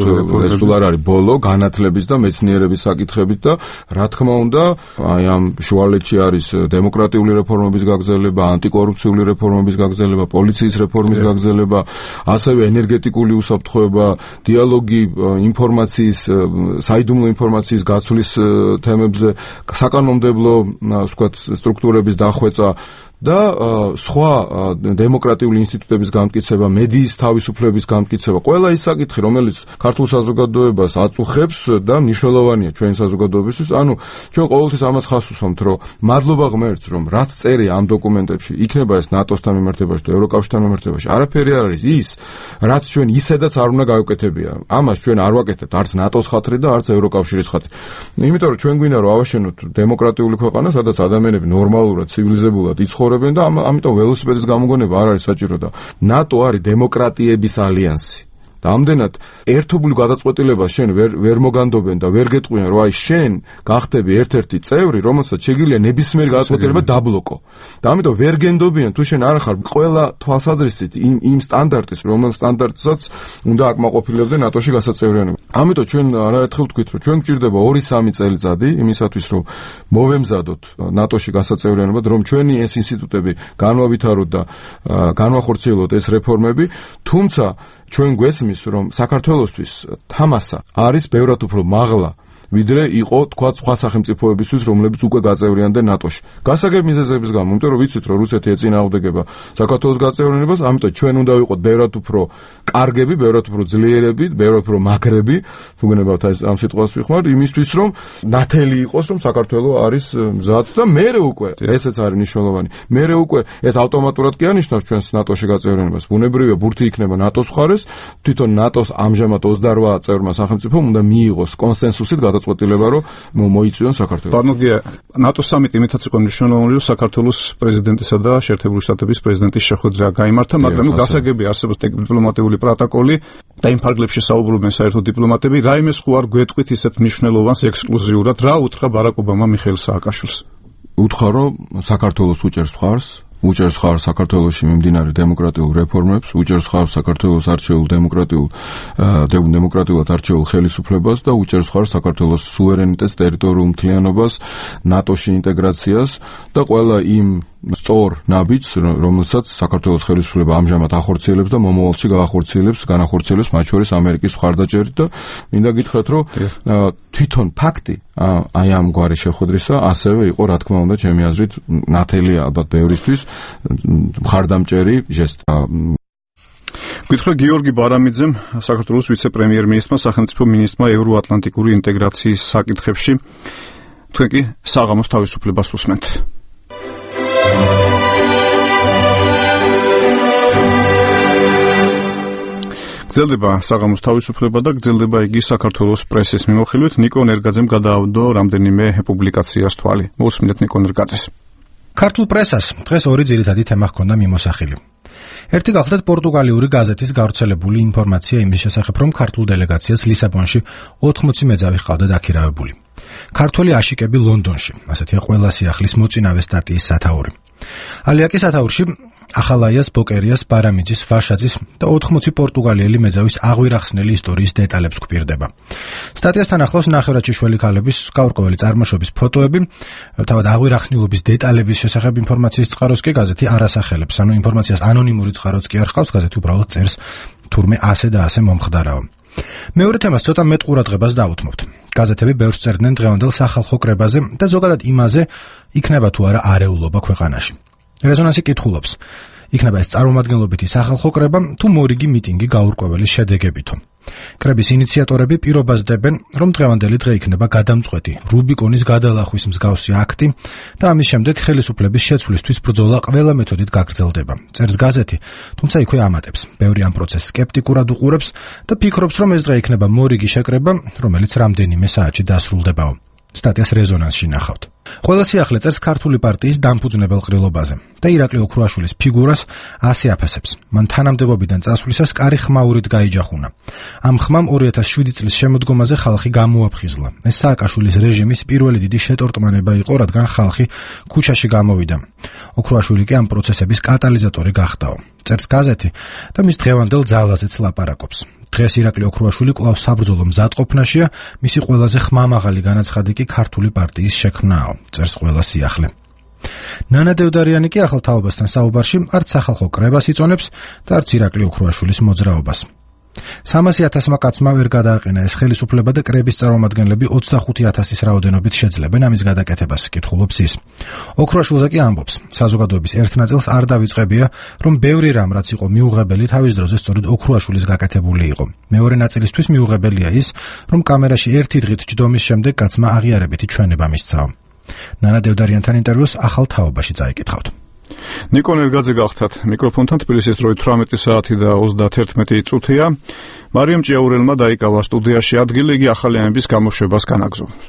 ეს თუ არ არის ბოლო განათლების და მეცნიერების საკითხებით და რა თქმა უნდა აი ამ შუალედში არის დემოკრატიული რეფორმების გაგრძელება, ანტიკორუფციული რეფორმების გაგრძელება, პოლიციის რეფორმის გაგრძელება, ასევე ენერგეტიკული უსაფრთხოება, დიალოგი ინფორმაციის, საიდუმლო ინფორმაციის გაცვლის თემებზე, საკანონმდებლო, ვთქვათ, სტრუქტურების დახვეწა და სხვა დემოკრატიული ინსტიტუტების გამტკიცება, მედიის თავისუფლების გამტკიცება, ყველა ის საკითხი, რომელიც ქართულ საზოგადოებას აწუხებს და მნიშვნელოვანია ჩვენი საზოგადოებისთვის. ანუ ჩვენ ყოველთვის ამას ხაზს უსვამთ, რომ მადლობა ღმერთს, რომ რაც წერია ამ დოკუმენტებში, იქნება ეს ნატოსთან მიმართებაში და ევროკავშირთან მიმართებაში, არაფერი არ არის ის, რაც ჩვენ ისედაც არ უნდა გავუკეთებია. ამას ჩვენ არ ვაკეთებთ არც ნატოს ხათრით და არც ევროკავშირის ხათრით. იმიტომ რომ ჩვენ გვინდა რომ ავაშენოთ დემოკრატიული ქვეყანა, სადაც ადამიანები ნორმალურად, ცივილიზებულად იცხოვრობენ და ამიტომ ველოსიპედის გამოგონება არ არის საჭირო და ნატო არის დემოკრატიების ალიანსი. და ამდენად ერთობლივ გადაწყვეტილებას შენ ვერ ვერ მოგანდობენ და ვერ გეტყვიან, რომ აი შენ გახდები ერთ-ერთი წევრი, რომელსაც შეგიძლია ნებისმიერ გადაწყვეტილება დაბლოკო. და ამიტომ ვერ გენდობიან თუ შენ არ ხარ ყველა თვალსაზრისით იმ იმ სტანდარტის, რომელ სტანდარტსაც უნდა აკმაყოფილებდე ნატოში გასაწევრიანება. ამიტომ ჩვენ არაერთხელ ვთქვით, რომ ჩვენ გვჭირდება ორი სამი წელიწადი იმისათვის, რომ მოვემზადოთ ნატოში გასაწევრიანებად, რომ ჩვენი ეს ინსტიტუტები განვავითაროთ და განვახორციელოთ ეს რეფორმები, თუმცა ჩვენ გვესმის, რომ საქართველოსთვის თამასა არის ბევრად უფრო მაღლა ვიდრე იყო თქვა სხვა სახელმწიფოებისთვის, რომლებიც უკვე გაწევრიანდნენ ნატოში. გასაგებ მიზეზების გამო, იმიტომ რომ ვიცით, რომ რუსეთი ეწინააღმდეგება საქართველოს გაწევრიანებას, ამიტომ ჩვენ უნდა ვიყოთ ბევრად უფრო კარგები, ბევრად უფრო ძლიერები, ბევრად უფრო მაგრები, თუ გნებავთ ამ სიტყვას ვიხმართ, იმისთვის, რომ ნათელი იყოს, რომ საქართველოს არის მზად და მერე უკვე, ესეც არის მნიშვნელოვანი. მერე უკვე ეს ავტომატურად კი ანიშნავს ჩვენს ნატოში გაწევრიანებას. ბუნებრივია, ბურთი იქნება ნატოს მხარეს, თვითონ ნატოს ამჟამად ოცდაორ წევრმა სახელმწიფომ უნდა მიიღოს კონსენსუსით წყვეტილება რომ მოიწვიონ საქართველოს. ბანოგია ნატოს სამიტი იმითაც იყო მნიშვნელოვანი, რომ საქართველოს პრეზიდენტისა და შეერთებული შტატების პრეზიდენტის შეხვედრა გაიმართა, მაგრამ ნუ გასაგები არსებობს დიპლომატიური პროტოკოლი და იმ ფარგლებში საუბრობენ საერთო დიპლომატები, რაიმეს ხო არ გვეტყვით ისეთ მნიშვნელოვანს ექსკლუზიურად, რა უთხრა ბარაკ ობამა მიხეილ სააკაშვილს. უთხრა რომ საქართველოს უჭერს ხარს უჭერს ხარს საქართველოში მიმდინარე დემოკრატიულ რეფორმებს, უჭერს ხარს საქართველოს არჩეულ დემოკრატიულ დემოკრატიულად არჩეულ ხელისუფლებას და უჭერს ხარს საქართველოს სუვერენიტეტს, ტერიტორიულ მთლიანობას, ნატოში ინტეგრაციას და ყველა იმ სწორ ნაბიჯს, რომელსაც საქართველოს ხელისუფლება ამჟამად ახორციელებს და მომავალში გაახორციელებს, განახორციელებს მათ შორის ამერიკის მხარდაჭერით და მინდა გითხრათ, რომ თვითონ ფაქტი აი ამ გვარი შეხვედრისა ასევე იყო, რა თქმა უნდა, ჩემი აზრით, ნათელი ალბათ ბევრისთვის მხარდამჭერი ჟესტი. გითხრა გიორგი ბარამიძემ, საქართველოს ვიცე-პრემიერ-მინისტრმა, სახელმწიფო მინისტრმა ევროატლანტიკური ინტეგრაციის საკითხებში. თქვენ კი საღამოს თავისუფლებას უსმენთ. გრძელდება საღამოს თავისუფლება და გრძელდება იგი საქართველოს პრესის მიმოხილვით. ნიკო ნერგაძემ გადაავდო რამდენიმე პუბლიკაციას თვალი. მოусმინეთ ნიკო ნერგაძეს. ქართულ პრესას დღეს ორი ძირითადი თემა ჰქონდა მიმოსახილი. ერთი გახლდათ პორტუგალიური გაზეთის გავრცელებული ინფორმაცია იმის შესახებ, რომ ქართულ დელეგაციას ლისაბონში ოთხმოცი მეძავი ჰყავდა დაქირავებული. ქართველი აშიკები ლონდონში, ასეთია ყველა სიახლის მოწინავე სტატიის სათაური. ალიაკის სათაურში ახალაიას, ბოკერიას, ბარამიძის, ვაშაძის და ოთხმოცი პორტუგალიელი მეძავის აღვირახსნელი ისტორიის დეტალებს გვპირდება. სტატიასთან ახლავს ნახევარჩიშველი ქალების გაურკვეველი წარმოშობის ფოტოები, თავად აღვირახსნილობის დეტალების შესახებ ინფორმაციის წყაროს კი გაზეთი არ ასახელებს, ანუ ინფორმაციას ანონიმური წყაროც კი არ ჰყავს, გაზეთი უბრალოდ წერს თურმე ასე და ასე მომხდარაო. მეორე თემას ცოტა მეტ ყურადღებას დაუთმობთ. გაზეთები ბევრს წერდნენ დღევანდელ სახალხო კრებაზე და ზოგადად იმაზე, იქნება თუ არა არეულობა ქვეყანაში. რეზონანსი კითხულობს: იქნება ეს წარმომადგენლობითი სახალხო კრება თუ მორიგი მიტინგი გაურკვეველი შედეგებითო. კრების ინიციატორები პირობასდებენ, რომ დღევანდელი დღე იქნება გადამწყვეტი რუბიკონის გადალახვის მსგავსი აქტი და ამის შემდეგ ხელისუფლების შეცვლისთვის ბრძოლა ყველა მეთოდით გაგრძელდება. წერს გაზეთი, თუმცა იქვე ამატებს. ბევრი ამ პროცესს სკეპტიკურად უყურებს და ფიქრობს, რომ ეს დღე იქნება მორიგი შეკრება, რომელიც რამდენიმე საათში დასრულდებაო. სტატიას რეზონანსში ნახავთ. ყველა სიახლე წერს ქართული პარტიის დამფუძნებელ ყრილობაზე და ირაკლი ოქრუაშვილის ფიგურას ასე აფასებს. მან თანამდებობიდან წასვლისას კარი ხმაურით გაიჯახუნა. ამ ხმამ ორი ათას შვიდი წლის შემოდგომაზე ხალხი გამოაფხიზლა. ეს სააკაშვილის რეჟიმის პირველი დიდი შეტორტმანება იყო, რადგან ხალხი ქუჩაში გამოვიდა. ოქრუაშვილი კი ამ პროცესების კატალიზატორი გახდაო. წერს გაზეთი და მის დღევანდელ ძალაზეც ლაპარაკობს. დღეს ირაკლი ოქრუაშვილი კვლავ საბრძოლო მზადყოფნაშია, მისი ყველაზე ხმამაღალი განაცხადი კი ქართული პარტიის შექმნაო, წერს ყველა სიახლე. ნანა დევდარიანი კი ახალ თაობასთან საუბარში არც სახალხო კრებას იწონებს და არც ირაკლი ოქრუაშვილის მოძრაობას. სამასი ათასმა კაცმა ვერ გადააყენა ეს ხელისუფლება და კრების წარმომადგენლები ოცდახუთი ათასის რაოდენობით შეძლებენ ამის გადაკეთებას, კითხულობს ის. ოქრუაშვილზე კი ამბობს, საზოგადოების ერთ ნაწილს არ დავიწყებია, რომ ბევრი რამ რაც იყო მიუღებელი თავის დროზე სწორედ ოქრუაშვილის გაკეთებული იყო. მეორე ნაწილისთვის მიუღებელია ის, რომ კამერაში ერთი დღით ჯდომის შემდეგ კაცმა აღიარებითი ჩვენება მისცაო. ნანა დევდარიანთან ინტერვიუს ახალ თაობაში წაიკითხავთ. ნიკო ნერგაძე გახდათ მიკროფონთან. თბილისის დროით თვრამეტი საათი და ოცდაათი წუთია. მარიამ ჭიაურელმა დაიკავა სტუდიაში ადგილი, იგი ახალი ამბის გამოშვებას განაგზავნებს.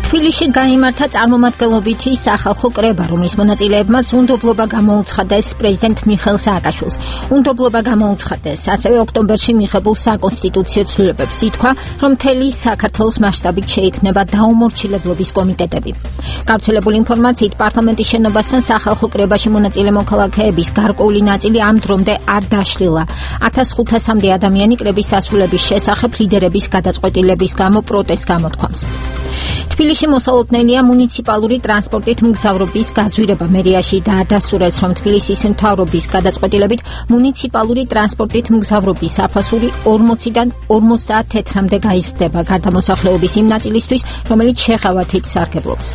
თბილისში გაიმართა წარმომადგენლობითი სახალხო კრება, რომლის მონაწილეებმაც უნდობლობა გამოუცხადეს პრეზიდენტ მიხეილ სააკაშვილს. უნდობლობა გამოუცხადეს ასევე ოქტომბერში მიღებულ საკონსტიტუციო ცვლილებებს. ითქვა, რომ მთელი საქართველოს მასშტაბით შეიქმნება დაუმორჩილებლობის კომიტეტები. გავრცელებული ინფორმაციით, პარლამენტის შენობასთან სახალხო კრებაში მონაწილე მოქალაქეების გარკვეული ნაწილი ამ დრომდე არ დაშლილა. ათას ხუთასამდე ადამიანი კრების დასრულების შესახებ ლიდერების გადაწყვეტილების გამო პროტესტს გამოთქვამს. თბილისში მოსალოდნელია მუნიციპალური ტრანსპორტით მგზავრობის გაძვირება. მერიაში დაადასტურეს, რომ თბილისის მთავრობის გადაწყვეტილებით მუნიციპალური ტრანსპორტით მგზავრობის აფასური ორმოციდან ორმოცდაათ თეთრამდე გაიზრდება გარდამოსახლეობის იმ ნაწილისთვის, რომელიც შეღავათით სარგებლობს.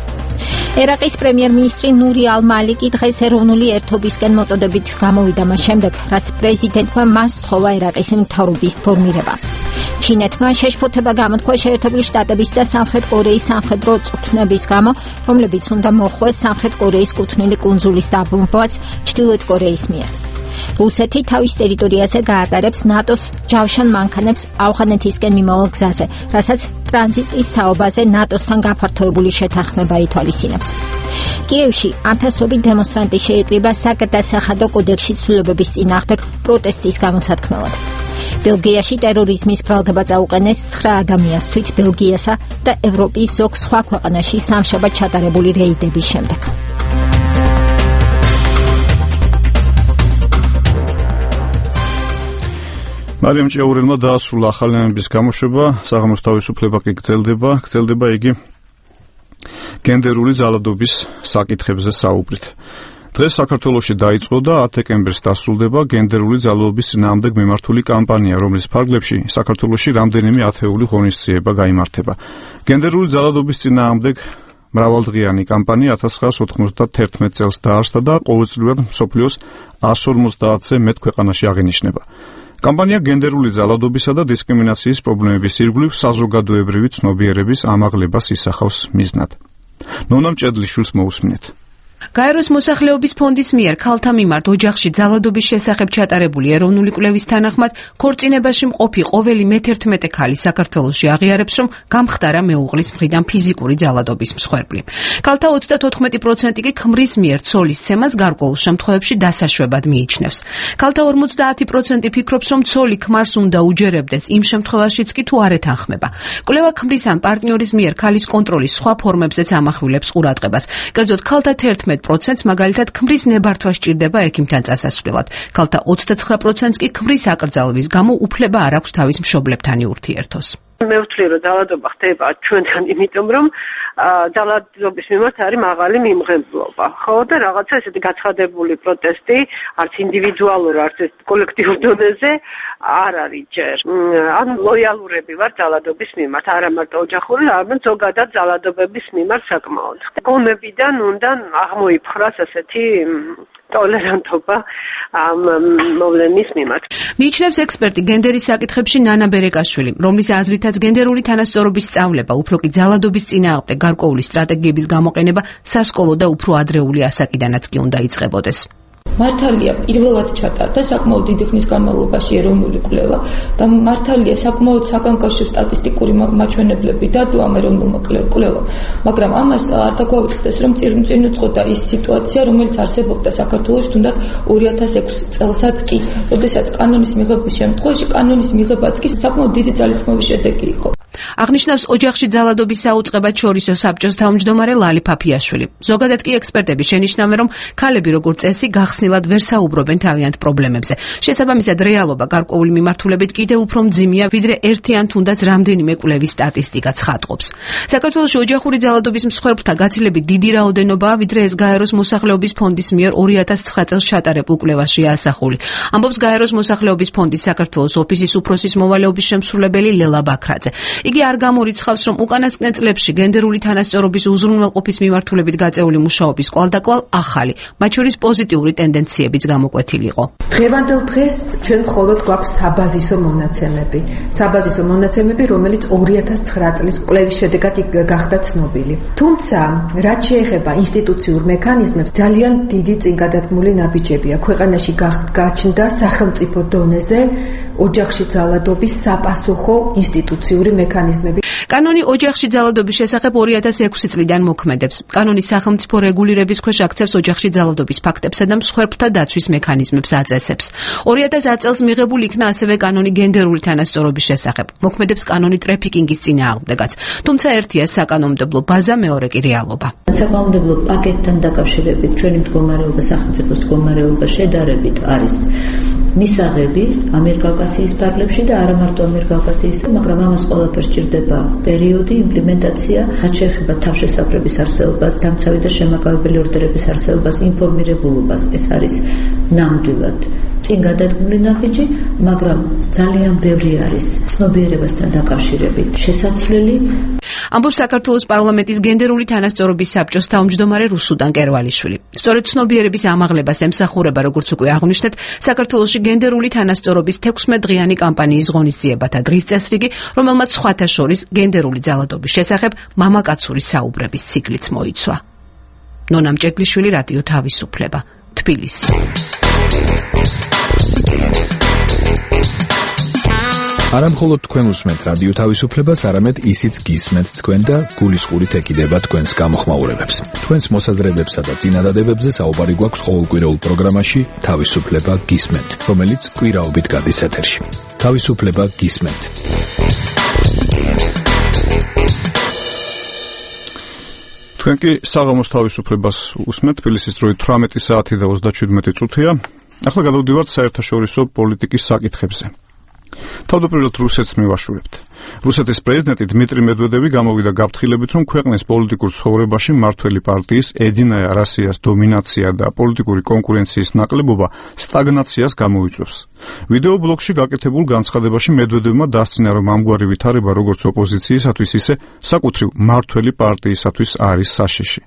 ერაყის პრემიერ-მინისტრი ნური ალ-მალიკი დღეს ეროვნული ერთობისკენ მოწოდებით გამოვიდა მას შემდეგ, რაც პრეზიდენტმა მას სთხოვა ერაყის მთავრობის ფორმირება. ჩინეთმა შეშფოთება გამოთქვა შეერთებული შტატების და სამხრეთ კორეის სამხედრო წვრთნების გამო, რომლებიც უნდა მოხვდეს სამხრეთ კორეის კუთვნილი კუნძულის დაბომბვას ჩრდილოეთ კორეის მიერ. რუსეთი თავის ტერიტორიაზე გაატარებს ნატოს ჯავშან მანქანებს ავღანეთისკენ მიმავალ გზაზე, რასაც ტრანზიტის თაობაზე ნატოსთან გაფართოებული შეთანხმება ითვალისწინებს. კიევში ათასობით დემონსტრანტი შეიკრიბა საგადასახადო კოდექსში ცვლილებების წინააღმდეგ პროტესტის გამოსათქმელად. ბელგიაში ტერორიზმის ბრალდება წაუყენეს ცხრა ადამიანს თვით ბელგიასა და ევროპის ზოგ სხვა ქვეყანაში სამშაბათ ჩატარებული რეიდების შემდეგ. მარიამ ჭიაურელმა დაასრულა ახალი ამბის გამოშვება, საღამოს თავისუფლება კი გრძელდება, გრძელდება იგი გენდერული ძალადობის საკითხებზე საუბრით. დღეს საქართველოში დაიწყო და ათ დეკემბერს დასრულდება გენდერული ძალადობის წინააღმდეგ მიმართული კამპანია, რომლის ფარგლებში საქართველოში რამდენიმე ათეული ღონისძიება გაიმართება. გენდერული ძალადობის წინააღმდეგ მრავალდღიანი კამპანია ათას ცხრაას ოთხმოცდათერთმეტ წელს დაარსდა და ყოველწლიურად მსოფლიოს ას ორმოცდაათზე მეტ ქვეყანაში აღინიშნება. კამპანია გენდერული ძალადობისა და დისკრიმინაციის პრობლემების ირგვლივ საზოგადოებრივი ცნობიერების ამაღლებას ისახავს მიზნად. ნონა მჭედლიშვილს მოусმინეთ. გაეროს მოსახლეობის ფონდის მიერ ქალთა მიმართ ოჯახში ძალადობის შესახებ ჩატარებული ეროვნული კვლევის თანახმად ქორწინებაში მყოფი ყოველი მეთერთმეტე ქალი საქართველოში აღიარებს, რომ გამხდარა მეუღლის მხრიდან ფიზიკური ძალადობის მსხვერპლი. ქალთა ოცდათოთხმეტი პროცენტი კი ქმრის მიერ ცოლის ცემას გარკვეულ შემთხვევებში დასაშვებად მიიჩნევს. ქალთა ორმოცდაათი პროცენტი ფიქრობს, რომ ცოლი ქმარს უნდა უჯერებდეს იმ შემთხვევაშიც კი თუ არ ეთანხმება. კვლევა ქმრის ან პარტნიორის მიერ ქალის კონტროლის სხვა ფორმებზეც ამახვილებს ყურადღებას. კერძოდ ქალთა თერთმეტ პროცენტს მაგალითად ქმრის ნებართვა სჭირდება ექიმთან წასასვლელად. ქალთა ოცდაცხრა პროცენტს კი ქმრის აკრძალვის გამო უფლება არ აქვს თავის მშობლებთან ურთიერთოს. მე ვთვლი, რომ ძალადობა ხდება ჩვენთან, იმიტომ რომ ძალადობის მიმართ არის მაღალი მიმღებლობა. ხო და რაღაცა ესეთი გაცხადებული პროტესტი არც ინდივიდუალურ, არც კოლექტიურ დონეზე არ არის ჯერ. ანუ ლოიალურები ვარ ძალადობის მიმართ, არა მარტო ოჯახური, არამედ ზოგადად ძალადობების მიმართ საკმაოდ. გონებიდან უნდა აღმოიფხრას ასეთი ტოლერანტობა ამ მოვლენის მიმართ. მიიჩნევს ექსპერტი გენდერის საკითხებში ნანა ბერეკაშვილი, რომლის აზრითაც გენდერული თანასწორობის სწავლება, უფრო კი ძალადობის წინააღმდეგ გარკვეული სტრატეგიების გამოყენება სასკოლო და უფრო ადრეული ასაკიდანაც კი უნდა იწყებოდეს. მართალია პირველად ჩატარდა საკმაოდ დიდი ხნის განმავლობაში ეროვნული კვლევა და მართალია საკმაოდ საკანკაშო სტატისტიკური მაჩვენებლები დადო ამ ეროვნულმა კვლევამ, მაგრამ ამას არ დაგვაუწყდეს, რომ წინ უძღოდა ის სიტუაცია, რომელიც არსებობდა საქართველოში თუნდაც ორი ათას ექვსი წელსაც კი, როდესაც კანონის მიღების შემთხვევაში კანონის მიღებაც კი საკმაოდ დიდი ძალისხმევის შედეგი იყო. აღნიშნავს ოჯახში ძალადობის საუწყებად შორისო საბჭოს თავმჯდომარე ლალი ფაფიაშვილი. ზოგადად კი ექსპერტები შენიშნავენ, რომ ქალები როგორც წესი გახსნილად ვერ საუბრობენ თავიანთ პრობლემებზე. შესაბამისად, რეალობა გარკვეული მიმართულებით კიდევ უფრო მძიმეა, ვიდრე ერთი ან თუნდაც რამდენიმე კვლევის სტატისტიკა ცხადყოფს. საქართველოში ოჯახური ძალადობის მსხვერპლთა გაცილებით დიდი რაოდენობაა, ვიდრე ეს გაეროს მოსახლეობის ფონდის მიერ ორი ათას ცხრა წელს ჩატარებულ კვლევაშია ასახული. ამბობს გაეროს მოსახლეობის ფონდის საქართველოს ოფისის უფროსის მოვალეობის შემსრულებელი ლელა ბაქრაძე. იგი არ გამორიცხავს, რომ უკანასკნელ წლებში გენდერული თანასწორობის უზრუნველყოფის მიმართულებით გაწეული მუშაობის კვალდაკვალ ახალი, მათ შორის პოზიტიური ტენდენციებიც გამოკვეთილი იყო. დღევანდელ დღეს ჩვენ მხოლოდ გვაქვს საბაზისო მონაცემები. საბაზისო მონაცემები, რომელიც ორი ათას ცხრა წლის კვლევის შედეგად გახდა ცნობილი. თუმცა, რაც შეეხება ინსტიტუციურ მექანიზმებს, ძალიან დიდი წინგადადგმული ნაბიჯებია. ქვეყანაში გაჩნდა სახელმწიფო დონეზე ოჯახში ძალადობის საპასუხო ინსტიტუციური მექანიზმები. კანონი ოჯახში ძალადობის შესახებ ორი ათას ექვსი წლიდან მოქმედებს. კანონი სახელმწიფო რეგულირების ქვეშ აქცევს ოჯახში ძალადობის ფაქტებსა და მსხვერპლთა დაცვის მექანიზმებს აწესებს. ორი ათას ათი წელს მიღებული იქნა ასევე კანონი გენდერული თანასწორობის შესახებ. მოქმედებს კანონი ტრეფიკინგის წინააღმდეგაც. თუმცა ერთია საკანონმდებლო ბაზა, მეორე კი რეალობა. საკანონმდებლო პაკეტთან დაკავშირებით ჩვენი მდგომარეობა, სახელმწიფოს მდგომარეობა შედარებით არის მისაღები ამიერკავკასიის ფარგლებში და არა მარტო ამიერკავკასიის, მაგრამ ამას ყველაფერს სჭირდება პერიოდი, იმპლემენტაცია, რაც შეეხება თავშესაფრების არსებობას, დამცავი და შემაკავებელი ორდერების არსებობას, ინფორმირებულობას. ეს არის ნამდვილად წინგადადგმული ნაბიჯი, მაგრამ ძალიან ბევრი არის ცნობიერებასთან დაკავშირებით შესაცვლელი. ამბობს საქართველოს პარლამენტის გენდერული თანასწორობის საბჭოს თავმჯდომარე რუსუდან კერვალიშვილი. სწორედ ცნობიერების ამაღლებას ემსახურება, როგორც უკვე აღვნიშნეთ, საქართველოში გენდერული თანასწორობის თექვსმეტდღიანი კამპანიის ღონისძიებათა დღის წესრიგი, რომელმაც სხვათა შორის გენდერული ძალადობის შესახებ მამაკაცური საუბრების ციკლიც მოიცვა. ნონა მჭეგლიშვილი, რადიო თავისუფლება, თბილისი. არა მხოლოდ თქვენ უსმენთ რადიო თავისუფლებას, არამედ ისიც გისმენთ თქვენ და გულისყურით ეკიდება თქვენს გამოხმაურებებს. თქვენს მოსაზრებებსა და წინადადებებზე საუბარი გვაქვს ყოველკვირეულ პროგრამაში თავისუფლება გისმენთ, რომელიც კვირაობით გადის ეთერში. თავისუფლება გისმენთ. თქვენ კი საღამოს თავისუფლებას უსმენთ, თბილისის დროით თვრამეტი საათი და ოცდაშვიდმეტი წუთია. ახლა გადავდივართ საერთაშორისო პოლიტიკის საკითხებზე. თავდაპირველად რუსეთს მივაშურებთ. რუსეთის პრეზიდენტი დმიტრი მედვედევი გამოვიდა გაფრთხილებით, რომ ქვეყნის პოლიტიკურ ცხოვრებაში მმართველი პარტიის ედინაია რასიას დომინაცია და პოლიტიკური კონკურენციის ნაკლებობა სტაგნაციას გამოიწვევს. ვიდეო ბლოგში გაკეთებულ განცხადებაში მედვედევმა დასცინა, რომ ამგვარი ვითარება როგორც ოპოზიციისათვის, ისე საკუთრივ მმართველი პარტიისათვის არის საშიში.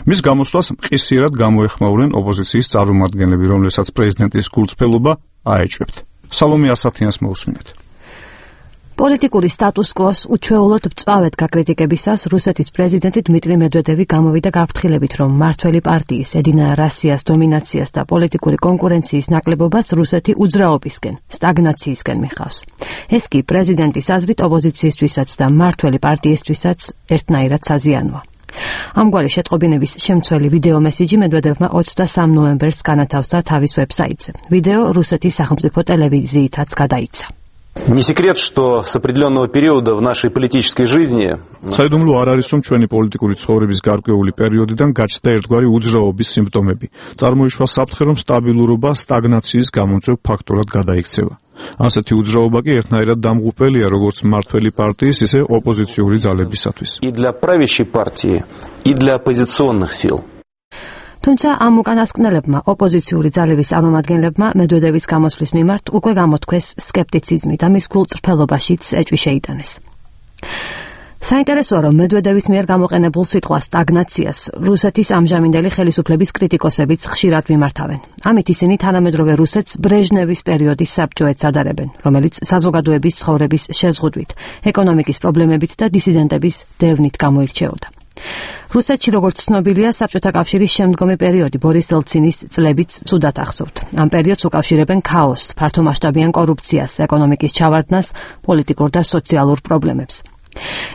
მის გამოსვლას მყისიერად გამოეხმაურნენ ოპოზიციის წარმომადგენლები, რომლებსაც პრეზიდენტის გულწრფელობა აეჭვებთ. სალომე ასათიანს მოусმინეთ. პოლიტიკური სტატუს-კვოს უჩვეულოდ მწვავედ გაკრიტიკებისას რუსეთის პრეზიდენტი დმიტრი მედვედევი გამოვიდა გაფრთხილებით, რომ მმართველი პარტიის ედინაია რასიას დომინაციას და პოლიტიკური კონკურენციის ნაკლებობას რუსეთი უძრაობისკენ, სტაგნაციისკენ მიხავს. ეს კი პრეზიდენტის აზრით ოპოზიციისთვისაც და მმართველი პარტიისთვისაც ერთნაირად საზიანოა. ამგვარი შეტყობინების შემცველი ვიდეო მესიჯი მედვედევმა ოცდასამ ნოემბერს განათავსა თავის ვებსაიტზე. ვიდეო რუსეთის სახელმწიფო ტელევიზიითაც გადაიცა. Не секрет, что с определенного периода в нашей политической жизни საიდუმლო არ არის, რომ ჩვენი პოლიტიკური ცხოვრების გარკვეული პერიოდიდან გაჩნდა ერთგვარი უძრაობის სიმპტომები. წარმოიშვა საფრთხე, რომ სტაბილურობა სტაგნაციის გამომწვევ ფაქტორად გადაიქცევა. ასეთი უძრაობა კი ერთნაირად დამღუპელია როგორც მმართველი პარტიის, ისე ოპოზიციური ძალებისათვის. И для правящей партии, и для оппозиционных сил. თუმცა ამ უკანასკნელებმა ოპოზიციური ძალების წარმომადგენლებმა მედვედევის გამოსვლის მიმართ უკვე გამოთქვეს სკეპტიციზმი და მის გულწრფელობაშიც ეჭვი შეიტანეს. საინტერესოა, რომ მედვედევის მიერ გამოყენებულ სიტყვა სტაგნაციას რუსეთის ამჟამინდელი ხელისუფლების კრიტიკოსებიც ხშირად მიმართავენ. ამით ისინი თანამედროვე რუსეთს ბრეჟნევის პერიოდის საბჭოეთს ადარებენ, რომელიც საზოგადოების ცხოვრების შეზღუდვით, ეკონომიკის პრობლემებით და დისიდენტების დევნით გამოირჩეოდა. რუსეთში, როგორც ცნობილია, საბჭოთა კავშირის შემდგომი პერიოდი ბორის ელცინის წლებიც ცუდად ახსოვთ. ამ პერიოდს უკავშირებენ ქაოსს, ფართომასშტაბიან კორუფციას, ეკონომიკის ჩავარდნას, პოლიტიკურ და სოციალურ პრობლემებს.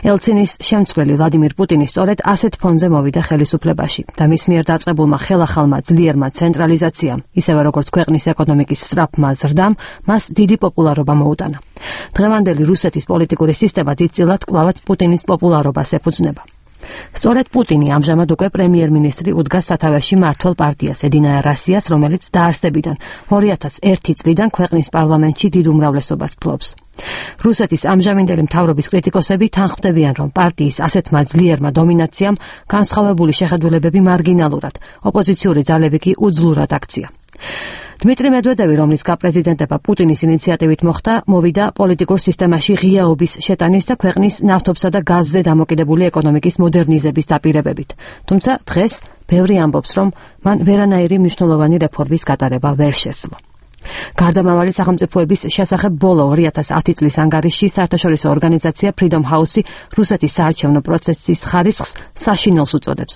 ელცინის შემცვლელი ვლადიმირ პუტინი სწორედ ასეთ ფონზე მოვიდა ხელისუფლებაში და მის მიერ დაწყებულმა ხელახალმა ძლიერმა ცენტრალიზაციამ, ისევე როგორც ქვეყნის ეკონომიკის სწრაფმა ზრდამ, მას დიდი პოპულარობა მოუტანა. დღევანდელი რუსეთის პოლიტიკური სისტემა დიდწილად კვლავაც პუტინის პოპულარობას ეფუძნება. სწორედ პუტინი ამჟამად უკვე პრემიერ-მინისტრი უდგას სათავეში მმართველ პარტიას ედინაია რასიას, რომელიც დაარსებიდან ორი ათას ერთი წლიდან ქვეყნის პარლამენტში დიდ უმრავლესობას ფლობს. რუსეთის ამჟამინდელი მთავრობის კრიტიკოსები თანხმდებიან, რომ პარტიის ასეთმა ძლიერმა დომინაციამ განსხვავებული შეხედულებები მარგინალურად, ოპოზიციური ძალები კი უძლურად აქცია. დმიტრი მედვედევი, რომლის გაპრეზიდენტება პუტინის ინიციატივით მოხდა, მოვიდა პოლიტიკურ სისტემაში ღიაობის შეტანის და ქვეყნის ნავთობსა და გაზზე დამოკიდებული ეკონომიკის მოდერნიზების დაპირებებით. თუმცა დღეს ბევრი ამბობს, რომ მან ვერანაირი მნიშვნელოვანი რეფორმის გატარება ვერ შესძლო. გარდამავალი სახელმწიფოების შესახებ ბოლო ორი ათას ათი წლის ანგარიშში საერთაშორისო ორგანიზაცია Freedom House-ი რუსეთის საარჩევნო პროცესის ხარისხს საშინელს უწოდებს.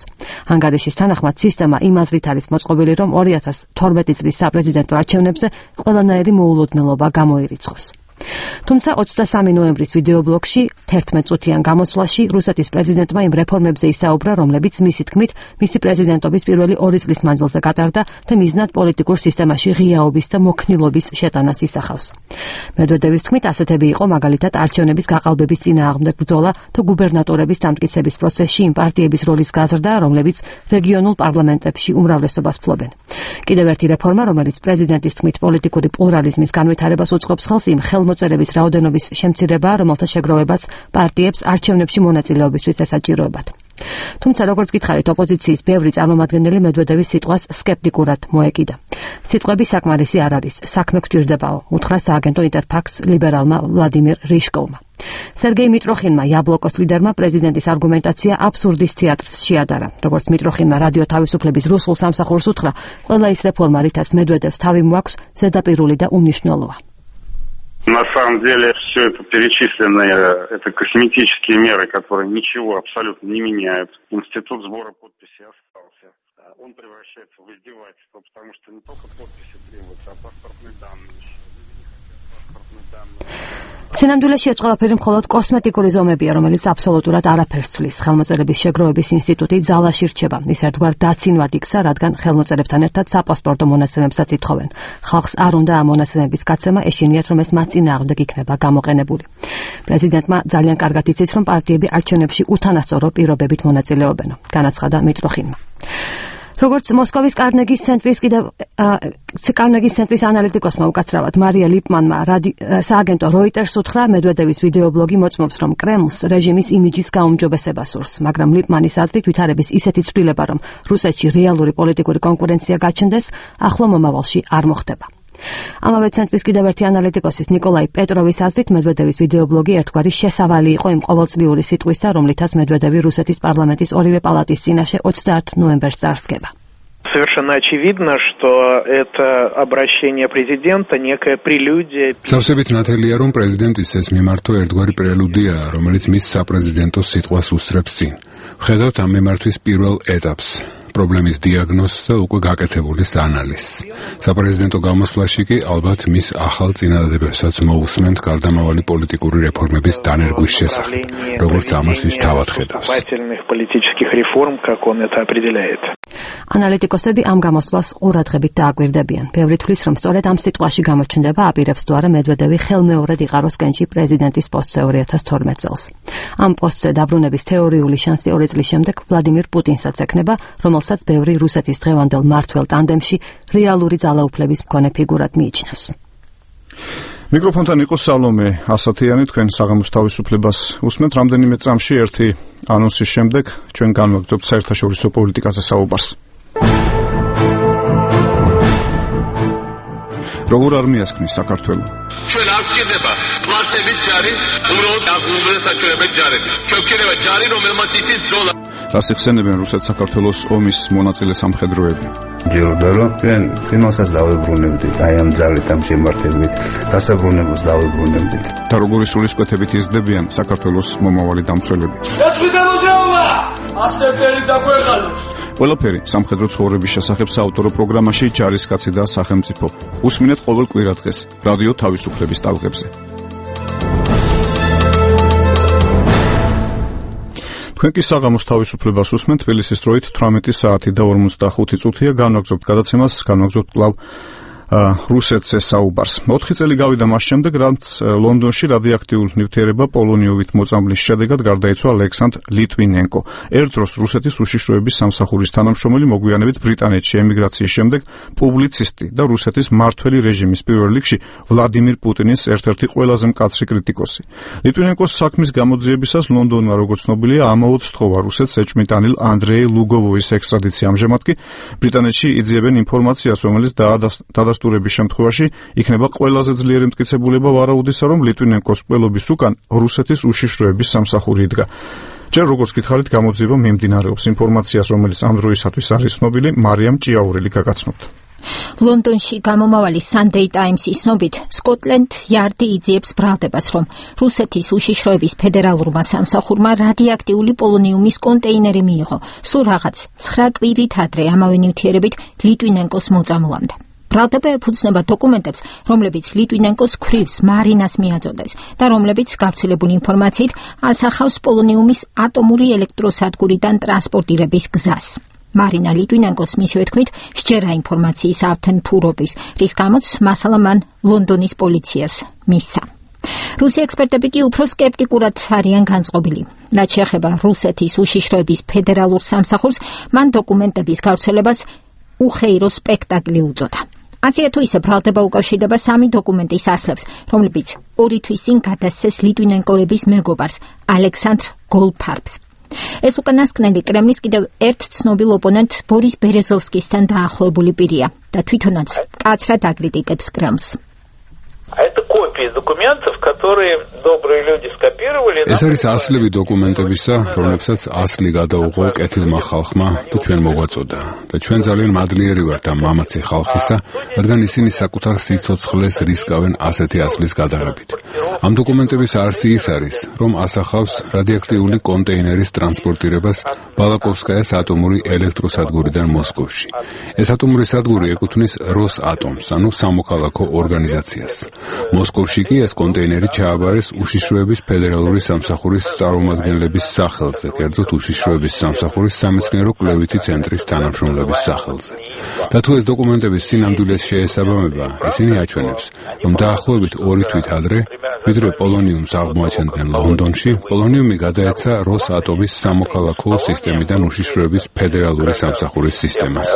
ანგარიშის თანახმად სისტემა იმ აზრით არის მოწყობილი, რომ ორი ათას თორმეტი წლის საპრეზიდენტო არჩევნებზე ყველანაირი მოულოდნელობა გამოირიცხოს. თუმცა ოცდასამი ნოემბრის ვიდეობლოგში თერთმეტ წუთიან გამოსვლაში რუსეთის პრეზიდენტმა იმ რეფორმებზე ისაუბრა, რომლებიც მისი თქმით მისი პრეზიდენტობის პირველი ორი წლის მანძილზე გატარდა და მიზნად პოლიტიკურ სისტემაში ღიაობის და მოქნილობის შეტანას ისახავს. მედვედევის თქმით ასეთები იყო მაგალითად არჩევნების გაყალბების წინააღმდეგ ბრძოლა თუ გუბერნატორების დამტკიცების პროცესში იმ პარტიების როლის გაზრდა, რომლებიც რეგიონულ პარლამენტებში უმრავლესობას ფლობენ. კიდევ ერთი რეფორმა, რომელიც პრეზიდენტის თქმით პოლიტიკური პლურალიზმის განვითარებას უწყობს ხელს, იმ ხელმოწერების რაოდენობის შემცირება, რომელთა შეგროვებაც პარტიებს არჩევნებში მონაწილეობისთვის ესაჭიროებათ. თუმცა როგორც გითხარით, ოპოზიციის ბევრი წარმომადგენელი მედვედევის სიტყვას სკეპტიკურად მოეკიდა. სიტყვები საკმარისი არ არის, საქმე გჭირდებაო, უთხრა სააგენტო ინტერფაქს ლიბერალმა ვლადიმირ რიშკოვმა. სერგეი მიტროხინმა, იაბლოკოს ლიდერმა, პრეზიდენტის არგუმენტაცია აბსურდის თეატრს შეადარა. როგორც მიტროხინმა რადიო თავისუფლების რუსულ სამსახურს უთხრა, ყველა ის რეფორმა, რითაც მედვედევს თავი მოაქვს, ზედაპირული და უმნიშვნელოა. На самом деле все это перечисленные, это косметические меры, которые ничего абсолютно не меняют. Институт сбора подписей остался. Он превращается в издевательство, потому что не только подписи требуются, а паспортные данные еще. Паспортные данные. სინამდვილეში ეს ყველაფერი მხოლოდ კოსმეტიკური ზომებია, რომელიც აბსოლუტურად არაფერს ცვლის. ხელმოწერების შეგროვების ინსტიტუტი ძალაში რჩება. ის ერთგვარ დაცინვად იქცა, რადგან ხელმოწერებთან ერთად საპასპორტო მონაცემებსაც ითხოვენ. ხალხს არ უნდა ამ მონაცემების გაცემა, ეშინიათ, რომ ეს მათ წინააღმდეგ იქნება გამოყენებული. პრეზიდენტმა ძალიან კარგად იცის, რომ პარტიები არჩევნებში უთანასწორო პირობებით მონაწილეობენ, განაცხადა მიტროხინმა. როგორც მოსკოვის კარნეგის ცენტრის კიდევ კარნეგის ცენტრის ანალიტიკოსმა უკაცრავად მარია ლიპმანმა სააგენტო როიტერს უთხრა, მედვედევის ვიდეობლოგი მოწმობს, რომ კრემლს რეჟიმის იმიჯის გაუმჯობესება სურს, მაგრამ ლიპმანის აზრით ვითარების ისეთი ცვლილება, რომ რუსეთში რეალური პოლიტიკური კონკურენცია გაჩნდეს, ახლო მომავალში არ მოხდება. ამავე ცენტრის კიდევ ერთი ანალიტიკოსის ნიკოლაი პეტროვის აზრით, მედვედევის ვიდეობლოგი ერთგვარი შესავალი იყო იმ ყოველწლიური სიტყვისა, რომლითაც მედვედევი რუსეთის პარლამენტის ორივე პალატის წინაშე ოცდაათ ნოემბერს წარსდგება. Совершенно очевидно, что это обращение президента некая прелюдия. Სავსებით ნათელია, რომ პრეზიდენტის ეს მიმართვა ერთგვარი პრელუდია, რომელიც მის საპრეზიდენტო სიტყვას უსწრებს წინ. ვხედავთ ამ მიმართვის პირველ ეტაპს. პრობლემის დიაგნოზს და უკვე გაკეთებულის ანალიზს. საპრეზიდენტო გამოსვლაში კი ალბათ მის ახალ წინადადებებსაც მოусმენთ გარდამავალი პოლიტიკური რეფორმების დანერგვის შესახებ, როგორც ამას ის თავად ხედავს. ანალიტიკოსები ამ გამოსვლას ყურადღებით დააკვირდებიან. ბევრი თვლის, რომ სწორედ ამ სიტყვაში გამოჩნდება აპირებს თუ არა მედვედევი ხელმეორედ იყაროს კენჭი პრეზიდენტის პოსტზე ორი ათას თორმეტ წელს. ამ პოსტზე დაბრუნების თეორიული შანსი ორი წლის შემდეგ ვლადიმირ პუტინსაც ექნება, რომელსაც ბევრი რუსეთის დღევანდელ მმართველ ტანდემში რეალური ძალაუფლების მქონე ფიგურად მიიჩნევს. მიკროფონთან იყო სალომე ასათიანი, თქვენ საღამოს თავისუფლებას უსმენთ. რამდენიმე წამში ერთი ანონსის შემდეგ ჩვენ განვაგრძობთ საერთაშორისო პოლიტიკაზე საუბარს. როგორ არ მიასქნის საქართველო? ჩვენ არ გვჭირდება პლაცების ჯარი, უბრალოდ დაგუბრუნდა საჩვენებელი ჯარები. ჩვენ გვჭირდება ჯარი, რომელმაც იცის ბრძოლა. რას იხსენებენ რუსეთ-საქართველოს ომის მონაწილე სამხედროები? ჯეროდა რომ ჩვენ წინასაც დავებრუნებდით, აი ამ ძალით, ამ შემართებით, დასაბრუნებლს დავებრუნებდით. და როგორი სულისკვეთებით იზრდებიან საქართველოს მომავალი დამცველები? დაწვიდა მოძრაობა! ასეთერი დაგვეღალოს. ყველაფერი სამხედრო ცხოვრების შესახებ საავტორო პროგრამაში ჯარისკაცი და სახელმწიფო. უსმინეთ ყოველ კვირადღეს რადიო თავისუფლების ტალღებზე. თქვენ კი საღამოს თავისუფლებას უსმენთ. თბილისის დროით თვრამეტი საათი და ორმოცდახუთი წუთია. განვაგრძობთ გადაცემას, განვაგრძობთ კვლავ რუსეთზე საუბარს. ოთხი წელი გავიდა მას შემდეგ, რაც ლონდონში რადიოაქტიურ ნივთიერება პოლონიობით მოწამბლის შედეგად გარდაიცვალა ალექსანდრ ლიტვინენკო. ერთ დროს რუსეთის უშიშროების სამსახურის თანამშრომელი, მოგვიანებით ბრიტანეთში ემიგრაციის შემდეგ პუბლიცისტი და რუსეთის მმართველი რეჟიმის პირველ რიგში ვლადიმირ პუტინის ერთ-ერთი ყველაზე მკაცრი კრიტიკოსი. ლიტვინენკოს საქმის გამოძიებისას ლონდონმა, როგორც ცნობილია, ამაოდ სთხოვა რუსეთს ეჭვმიტანილ ანდრეი ლუგოვოის ექსტრადიცია. ამჟამად კი ბრიტანეთში იძიებენ ინფორმაციას, რომელიც დაადასტურებს შემთხვევაში იქნება ყველაზე ძლიერი მტკიცებულება ვარაუდისა, რომ ლიტვინენკოს ყველობის უკან რუსეთის უშიშროების სამსახური იდგა. ჯერ როგორც გითხარით, გამოძიება მიმდინარეობს. ინფორმაციას, რომელიც ამ დროისათვის არის ცნობილი, მარიამ ჭიაურელი გაგაცნობთ. ლონდონში გამომავალი Sunday Times-ის ცნობით, სკოტლენდ იარდი იძიებს ბრალდებას, რომ რუსეთის უშიშროების ფედერალურმა სამსახურმა რადიოაქტიული პოლონიუმის კონტეინერი მიიღო, სულ რაღაც ცხრა კვირით ადრე ამავე ნივთიერებით ლიტვინენკოს მოწამვლამდე. ბრალდება ეფუძნება დოკუმენტებს, რომლებიც ლიტვინენკოს ქვრივს მარინას მიაწოდეს და რომლებიც გავრცელებული ინფორმაციით ასახავს პოლონიუმის ატომური ელექტროსადგურიდან ტრანსპორტირების გზას. მარინა ლიტვინენკოს მისივე თქმით სჯერა ინფორმაციის ავთენტურობის, რის გამოც მასალა მან ლონდონის პოლიციას მისცა. რუსი ექსპერტები კი უფრო სკეპტიკურად არიან განწყობილი. რაც შეეხება რუსეთის უშიშროების ფედერალურ სამსახურს, მან დოკუმენტების გავრცელებას უხეირო სპექტაკლი უწოდა. ასეა თუ ისე ბრალდება უკავშირდება სამი დოკუმენტის ასლებს, რომლებიც ორი თვის წინ გადასცეს ლიტვინენკოების მეგობარს ალექსანდრ გოლფარბს. ეს უკანასკნელი კრემლის კიდევ ერთ ცნობილ ოპონენტ ბორის ბერეზოვსკისთან დაახლოებული პირია და თვითონაც მკაცრად აკრიტიკებს კრემლს. Это копии документов, которые добрые люди скопировали. ეს არის ასლები დოკუმენტებისა, რომლებსაც ასლი გადაუღო კეთილმა ხალხმა და ჩვენ მოგვაწოდა. და ჩვენ ძალიან მადლიერი ვართ ამ მამაცი ხალხისა, რადგან ისინი საკუთარ სიცოცხლეს რისკავენ ასეთი ასლის გადაღებით. ამ დოკუმენტების არსი ის არის, რომ ასახავს რადიოაქტიული კონტეინერის ტრანსპორტირებას ბალაკოვსკაიას ატომური ელექტროსადგურიდან მოსკოვში. ეს ატომური სადგური ეკუთვნის როსატომს, ანუ სამოქალაქო ორგანიზაციას. მოსკოვში კი ეს კონტეინერი ჩააბარეს უშიშროების ფედერალური სამსახურის წარმომადგენლების სახელზე, კერძოდ უშიშროების სამსახურის სამეცნიერო კვლევითი ცენტრის თანამშრომლების სახელზე. და თუ ეს დოკუმენტების სინამდვილეს შეესაბამება, ისინი აჩვენებს, რომ დაახლოებით ორი თვით ადრე, ვიდრე პოლონიუმს აღმოაჩენდნენ ლონდონში, პოლონიუმი გადაეცა როსატომის სამოქალაქო სისტემიდან უშიშროების ფედერალური სამსახურის სისტემას.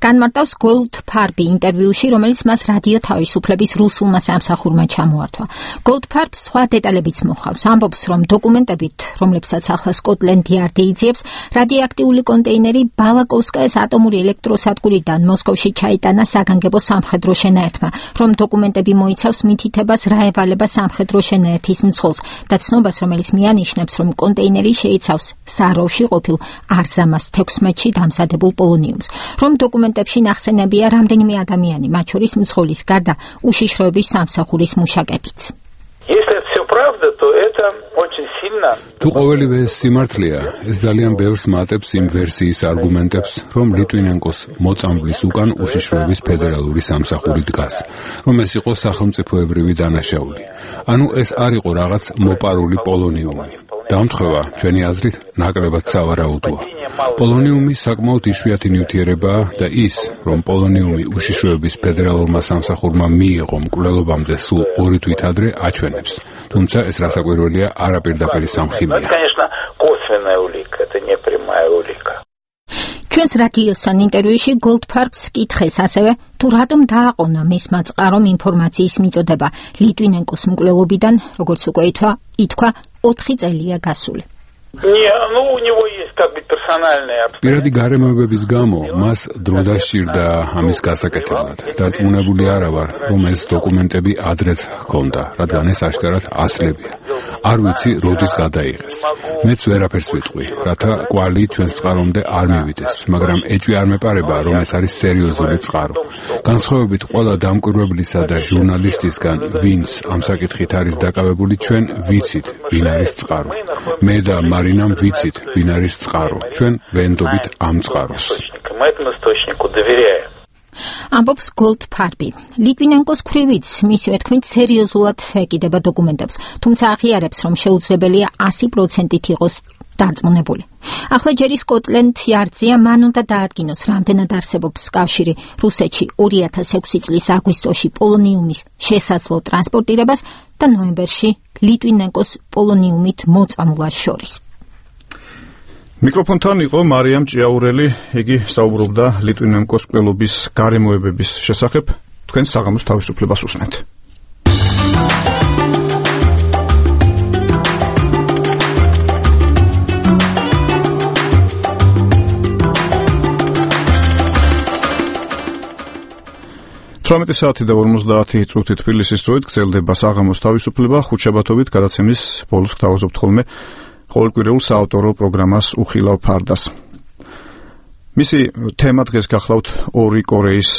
განმარტავს გოლდფარბი ინტერვიუში, რომელიც მას რადიო თავისუფლების რუსულმა სამსახურმა ჩამოართვა. გოლდფარბს სხვა დეტალებიც მოჰყავს. ამბობს, რომ დოკუმენტებით, რომლებსაც ახლა სკოტლენდ იარდი იძიებს, რადიოაქტიული კონტეინერი ბალაკოვსკაიას ატომური ელექტროსადგურიდან მოსკოვში ჩაიტანა საგანგებო სამხედრო შენაერთმა, რომ დოკუმენტები მოიცავს მითითებას რა ევალება სამხედრო შენაერთის მძღოლს და ცნობას, რომელიც მიანიშნებს, რომ კონტეინერი შეიცავს საროვში ყოფილ არზამას თექვსმეტში დამზადებულ პოლონიუმს, რომ დოკუმენტებში ნახსენებია რამდენიმე ადამიანი, მათ შორის მძღოლის გარდა უშიშროების სამსახურის მუშაკებიც. თუ ყოველივე ეს სიმართლეა, ეს ძალიან ბევრს მატებს იმ ვერსიის არგუმენტებს, რომ ლიტვინენკოს მოწამბლის უკან უშიშროების ფედერალური სამსახური დგას, რომ ეს იყო სახელმწიფოებრივი დანაშაული. ანუ ეს არ იყო რაღაც მოპარული პოლონიუმი. დამთხევა, ჩვენი აზრით, ნაკლებად სავარაუდოა. პოლონიუმი საკმაოდ იშვიათი ნივთიერებაა და ის, რომ პოლონიუმი უშიშროების ფედერალურმა სამსახურმა მიიღო მკვლელობამდე სულ ორი თვით ადრე, აჩვენებს. თუმცა ეს რასაკვირველია, არაპირდაპირი სამხილია. ჩვენს რადიოსთან ინტერვიუში Goldfarb-ს კითხეს ასევე, თუ რატომ დააყონა მისმა წყარომ ინფორმაციის მიწოდება ლიტვინენკოს მკვლელობიდან, როგორც უკვე ითქვა, ოთხი წელია გასული. პირადი გარემოებების გამო მას დრო დასჭირდა ამის გასაკეთებლად. დარწმუნებული არა ვარ, რომ ეს დოკუმენტები ადრეც ჰქონდა, რადგან ეს აშკარად ასლებია. არ ვიცი, როდის გადაიღეს. მეც ვერაფერს ვიტყვი, რათა კვალი ჩვენს წყარომდე არ მივიდეს, მაგრამ ეჭვი არ მეპარება, რომ ეს არის სერიოზული წყარო. განსხვავებით ყველა დამკვირვებლისა და ჟურნალისტისგან, ვინც ამ საკითხით არის დაკავებული, ჩვენ ვიცით, ვინ არის წყარო. მე და მარინამ ვიცით, ვინ არის წყარო. ჩვენ ვენდობით ამ წყაროს. ამბობს Goldfarb-ი. ლიტვინენკოს ქვრივით, მისივე თქმით, სერიოზულად ეკიდება დოკუმენტებს, თუმცა აღიარებს, რომ შეუძლებელია ასი პროცენტით იყოს დარწმუნებული. ახლა ჯერი სკოტლენდ იარდზია, მან უნდა დაადგინოს, რამდენად არსებობს კავშირი რუსეთში ორი ათას ექვსი წლის აგვისტოში პოლონიუმის შესაძლო ტრანსპორტირებას და ნოემბერში ლიტვინენკოს პოლონიუმით მოწამვლას შორის. მიკროფონთან იყო მარიამ ჭიაურელი, იგი საუბრობდა ლიტვინენკოს მკვლელობის გარემოებების შესახებ. თქვენ საღამოს თავისუფლებას უსმენთ. თვრამეტი საათი და ორმოცდაათი წუთი თბილისის დროით გრძელდება საღამოს თავისუფლება. ხუთშაბათობით გადაცემის ბოლოს გთავაზობთ ხოლმე ყოველკვირეულ საავტორო პროგრამას უხილავ ფარდას. მისი თემა დღეს გახლავთ ორი კორეის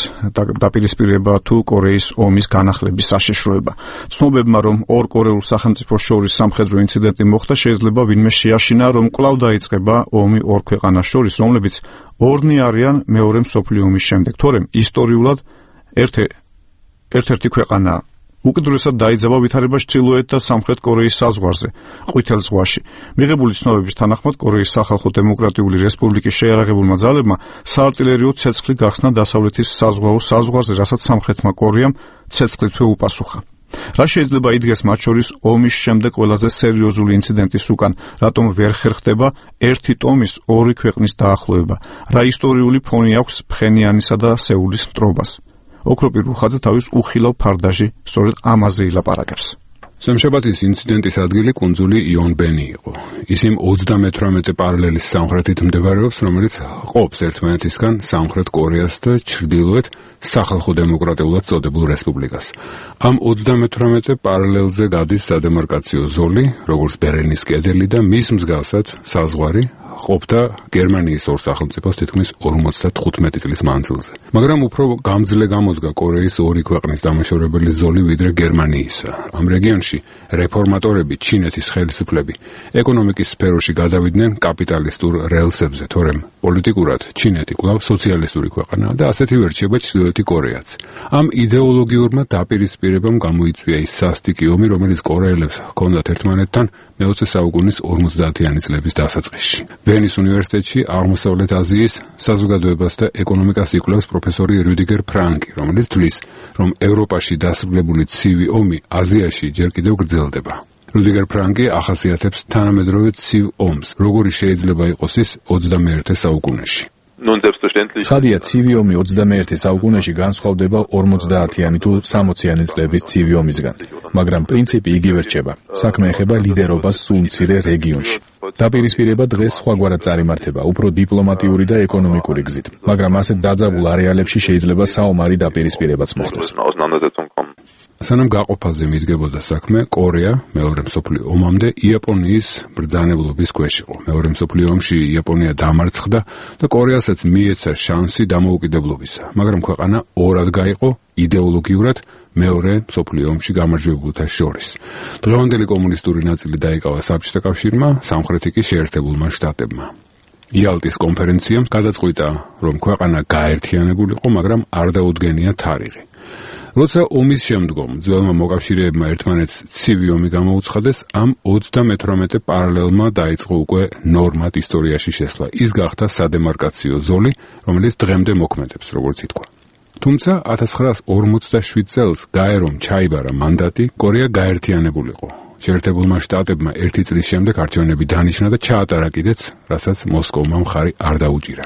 დაპირისპირება თუ კორეის ომის განახლების საშიშროება. ცნობებმა, რომ ორ კორეულ სახელმწიფოს შორის სამხედრო ინციდენტი მოხდა, შეიძლება ვინმე შეაშინა, რომ კვლავ დაიწყება ომი ორ ქვეყანას შორის, რომლებიც ორნი არიან მეორე მსოფლიო ომის შემდეგ. თორემ ისტორიულად ერთ-ერთი ქვეყანა უკიდურესად დაიძაბა ვითარებაში ჩრდილოეთ და სამხრეთ კორეის საზღვარზე, ყვითელ ზღვაში. მიღებული ცნობების თანახმად, კორეის სახალხო დემოკრატიული რესპუბლიკის შეიარაღებულმა ძალებმა საარტილერიო ცეცხლი გახსნა დასავლეთის საზღვაო საზღვარზე, რასაც სამხრეთმა კორეამ ცეცხლითვე უპასუხა. რა შეიძლება იდგეს მათ შორის ომის შემდეგ ყველაზე სერიოზული ინციდენტის უკან, რატომ ვერ ხერხდება ერთი ტომის ორი ქვეყნის დაახლოება? რა ისტორიული ფონი აქვს ფხენიანისა და სეულის მტრობას? ოქროპირ რუხაძე თავის უხილავ ფარდაში სწორედ ამაზე ილაპარაკებს. სამშაბათის ინციდენტის ადგილი კუნძული იონბენი იყო. ის იმ ოცდამეთვრამეტე პარალელის სამხრეთით მდებარეობს, რომელიც ყოფს ერთმანეთისგან სამხრეთ კორეას და ჩრდილოეთ სახალხო დემოკრატიულად წოდებულ რესპუბლიკას. ამ ოცდამეთვრამეტე პარალელზე გადის სადემარკაციო ზოლი, როგორც ბერლინის კედელი და მის მსგავსად საზღვარი ყოფდა გერმანიის ორ სახელმწიფოს თითქმის ორმოცდათხუთმეტი წლის მანძილზე. მაგრამ უფრო გამძლე გამოდგა კორეის ორი ქვეყნის დამაშორებელი ზოლი ვიდრე გერმანიისა. ამ რეგიონში რეფორმატორები, ჩინეთის ხელისუფლები ეკონომიკის სფეროში გადავიდნენ კაპიტალისტურ რელსებზე, თორემ პოლიტიკურად ჩინეთი კვლავ სოციალისტური ქვეყანაა და ასეთი ვერ რჩება ჩრდილოეთი კორეაც. ამ იდეოლოგიურმა დაპირისპირებამ გამოიწვია ის სასტიკი ომი, რომელიც კორეელებს ჰქონდათ ერთმანეთთან მეოცე საუკუნის ორმოცდაათიანი წლების დასაწყისში. ვენის უნივერსიტეტში აღმოსავლეთ აზიის საზოგადოებას და ეკონომიკას იკვლევს პროფესორი რუდიგერ ფრანკი, რომელიც თვლის, რომ ევროპაში დასრულებული ცივი ომი აზიაში ჯერ კიდევ გრძელდება. რუდიგერ ფრანკი ახასიათებს თანამედროვე ცივ ომს, როგორი შეიძლება იყოს ის ოცდამეერთე საუკუნეში. ცხადია, ცივი ომი ოცდამეერთე საუკუნეში განსხვავდება ორმოცდაათიანი თუ სამოციანი წლების ცივი ომისგან, მაგრამ პრინციპი იგივე რჩება. საქმე ეხება ლიდერობას სულ მცირე რეგიონში. დაპირისპირება დღეს სხვაგვარად წარიმართება, უფრო დიპლომატიური და ეკონომიკური გზით, მაგრამ ასეთ დაძაბულ არეალებში შეიძლება საომარი დაპირისპირებაც მოხდეს. სანამ გაყოფაზე მიდგებოდა საქმე, კორეა მეორე მსოფლიო ომამდე იაპონიის ბრძანებლობის ქვეშ იყო. მეორე მსოფლიო ომში იაპონია დამარცხდა და კორეასაც მიეცა შანსი დამოუკიდებლობისა, მაგრამ ქვეყანა ორად გაიყო იდეოლოგიურად მეორე მსოფლიო ომში გამარჯვებულთა შორის. დღევანდელი კომუნისტური ნაწილი დაიკავა საბჭოთა კავშირმა, სამხრეთი კი შეერთებულმა შტატებმა. იალტის კონფერენციამ გადაწყვიტა, რომ ქვეყანა გაერთიანებულიყო, მაგრამ არ დაუდგენია თარიღი. როცა ომის შემდგომ ძველმა მოკავშირეებმა ერთმანეთს ცივი ომი გამოუცხადეს, ამ ოცდამეთვრამეტე პარალელმა დაიწყო უკვე ნორმად ისტორიაში შესვლა. ის გახდა სადემარკაციო ზოლი, რომელიც დღემდე მოქმედებს, როგორც ითქვა. თუმცა ათას ცხრაას ორმოცდაშვიდ წელს გაერომ ჩაიბარა მანდატი, კორეა გაერთიანებულიყო. შეერთებულმა შტატებმა ერთი წლის შემდეგ არჩევნები დანიშნა და ჩაატარა კიდეც, რასაც მოსკოვმა მხარი არ დაუჭირა.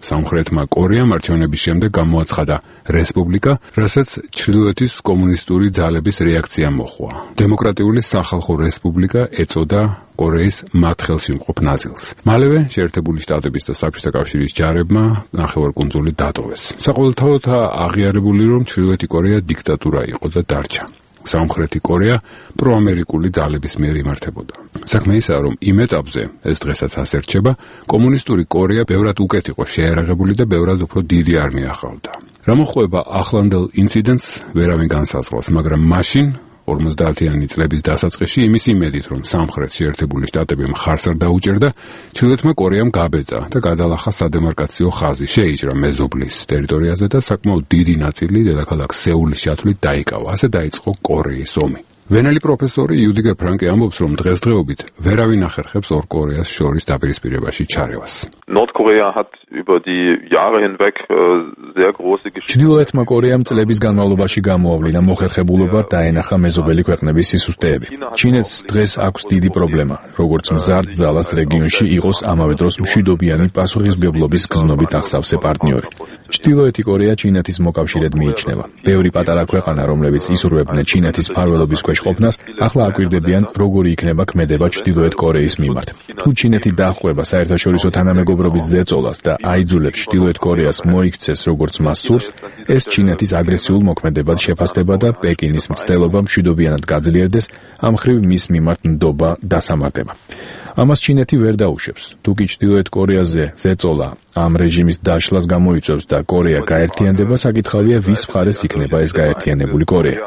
სამხრეთმა კორეამ არჩევნების შემდეგ გამოაცხადა რესპუბლიკა, რასაც ჩრდილოეთის კომუნისტური ძალების რეაქცია მოჰყვა. დემოკრატიული სახალხო რესპუბლიკა ეწოდა კორეის მათ ხელში მყოფ ნაწილს. მალევე შეერთებული შტატების და საბჭოთა კავშირის ჯარებმა ნახევარკუნძული დატოვეს. საყოველთაოდ აღიარებული, რომ ჩრდილოეთი კორეა დიქტატურა იყო და დარჩა. სამხრეთი კორეა პროამერიკული ძალების მიერ იმართებოდა. საქმე ისაა, რომ იმ ეტაპზე, ეს დღესაც ასე რჩება, კომუნისტური კორეა ბევრად უკეთ იყო შეიარაღებული და ბევრად უფრო დიდი არმია ჰყავდა. რა მოხდება ახლანდელ ინციდენტს ვერავინ განსაზღვრავს, მაგრამ მაშინ ორმოცდაათიანი წლების დასაწყისში იმის იმედით, რომ სამხრეთ შეერთებული შტატები მხარს არ დაუჭერდა, ჩრდილოეთმა კორეამ გაბედა და გადალახა სადემარკაციო ხაზი, შეიჭრა მეზობლის ტერიტორიაზე და საკმაოდ დიდი ნაწილი დედაქალაქ სეულის ჩათვლით დაიკავა. ასე დაიწყო კორეის ომი. ვენელი პროფესორი იუდიგე ფრანკი ამბობს, რომ დღესდღეობით ვერავინ ახერხებს ორ კორეას შორის დაპირისპირებაში ჩარევას. Nordkorea hat über die Jahre hinweg sehr große Geschichte. ჩრდილოეთმა კორეამ წლების განმავლობაში გამოავლინა მოხერხებულობა დაენახა მეზობელი ქვეყნების სისუსტეები. ჩინეთს დღეს აქვს დიდი პრობლემა, როგორც მზარდ ძალას რეგიონში იყოს ამავე დროს მშვიდობიანი პასუხისმგებლობის გზნობით ახსავსე პარტნიორი. ჩრდილოეთი კორეა ჩინეთის მოკავშირედ მიიჩნევა. ბევრი პატარა ქვეყანა, რომლებიც იზრუნებდნენ ჩინეთის მფარველობის ქვეშ ყოფნას, ახლა აკვირდებიან, როგორი იქნება ქმედება ჩრდილოეთ კორეის მიმართ. თუ ჩინეთი დახვევა საერთაშორისო თანამეგობრობის ზეწოლას და აიძულებს ჩრდილოეთ კორეას მოიქცეს როგორც მას სურს, ეს ჩინეთის აგრესიულ მოქმედებად შეფასდება და პეკინის მცდელობა მშვიდობიანად გაძლიერდეს, ამ ხრივ მის მიმართ ნდობა დასამართება. ამას ჩინეთი ვერ დაუშვებს. თუ კი ჩრდილოეთ კორეაზე ზეწოლა ამ რეჟიმის დაშლას გამოიწვევს და კორეა გაერთიანდება, საკითხავია, ვის მხარეს იქნება ეს გაერთიანებული კორეა.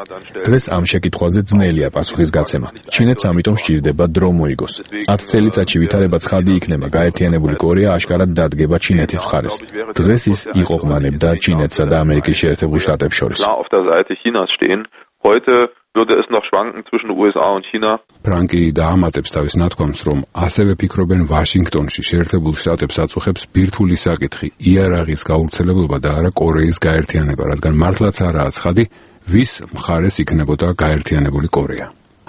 დღეს ამ შეკითხვაზე ძნელია პასუხის გაცემა. ჩინეთს ამიტომ სჭირდება დრო მოიგოს. ათ წელიწადში ვითარება ცხადი იქნება, გაერთიანებული კორეა აშკარად დადგება ჩინეთის მხარეს. დღეს ის იყოყმანებდა ჩინეთსა და ამერიკის შეერთებულ შტატებს შორის. Heute würde es noch schwanken zwischen U S A und China. ფრანკი დაამატებს თავის ნათქვამს, რომ ასევე ფიქრობენ ვაშინგტონში შეერთებულ შტატებს აწუხებს ბირთვული საკითხი, იარაღის გავრცელებლობა და არა კორეის გაერთიანება, რადგან მართლაც არაა ცხადი, ვის მხარეს იქნებოდა გაერთიანებული კორეა.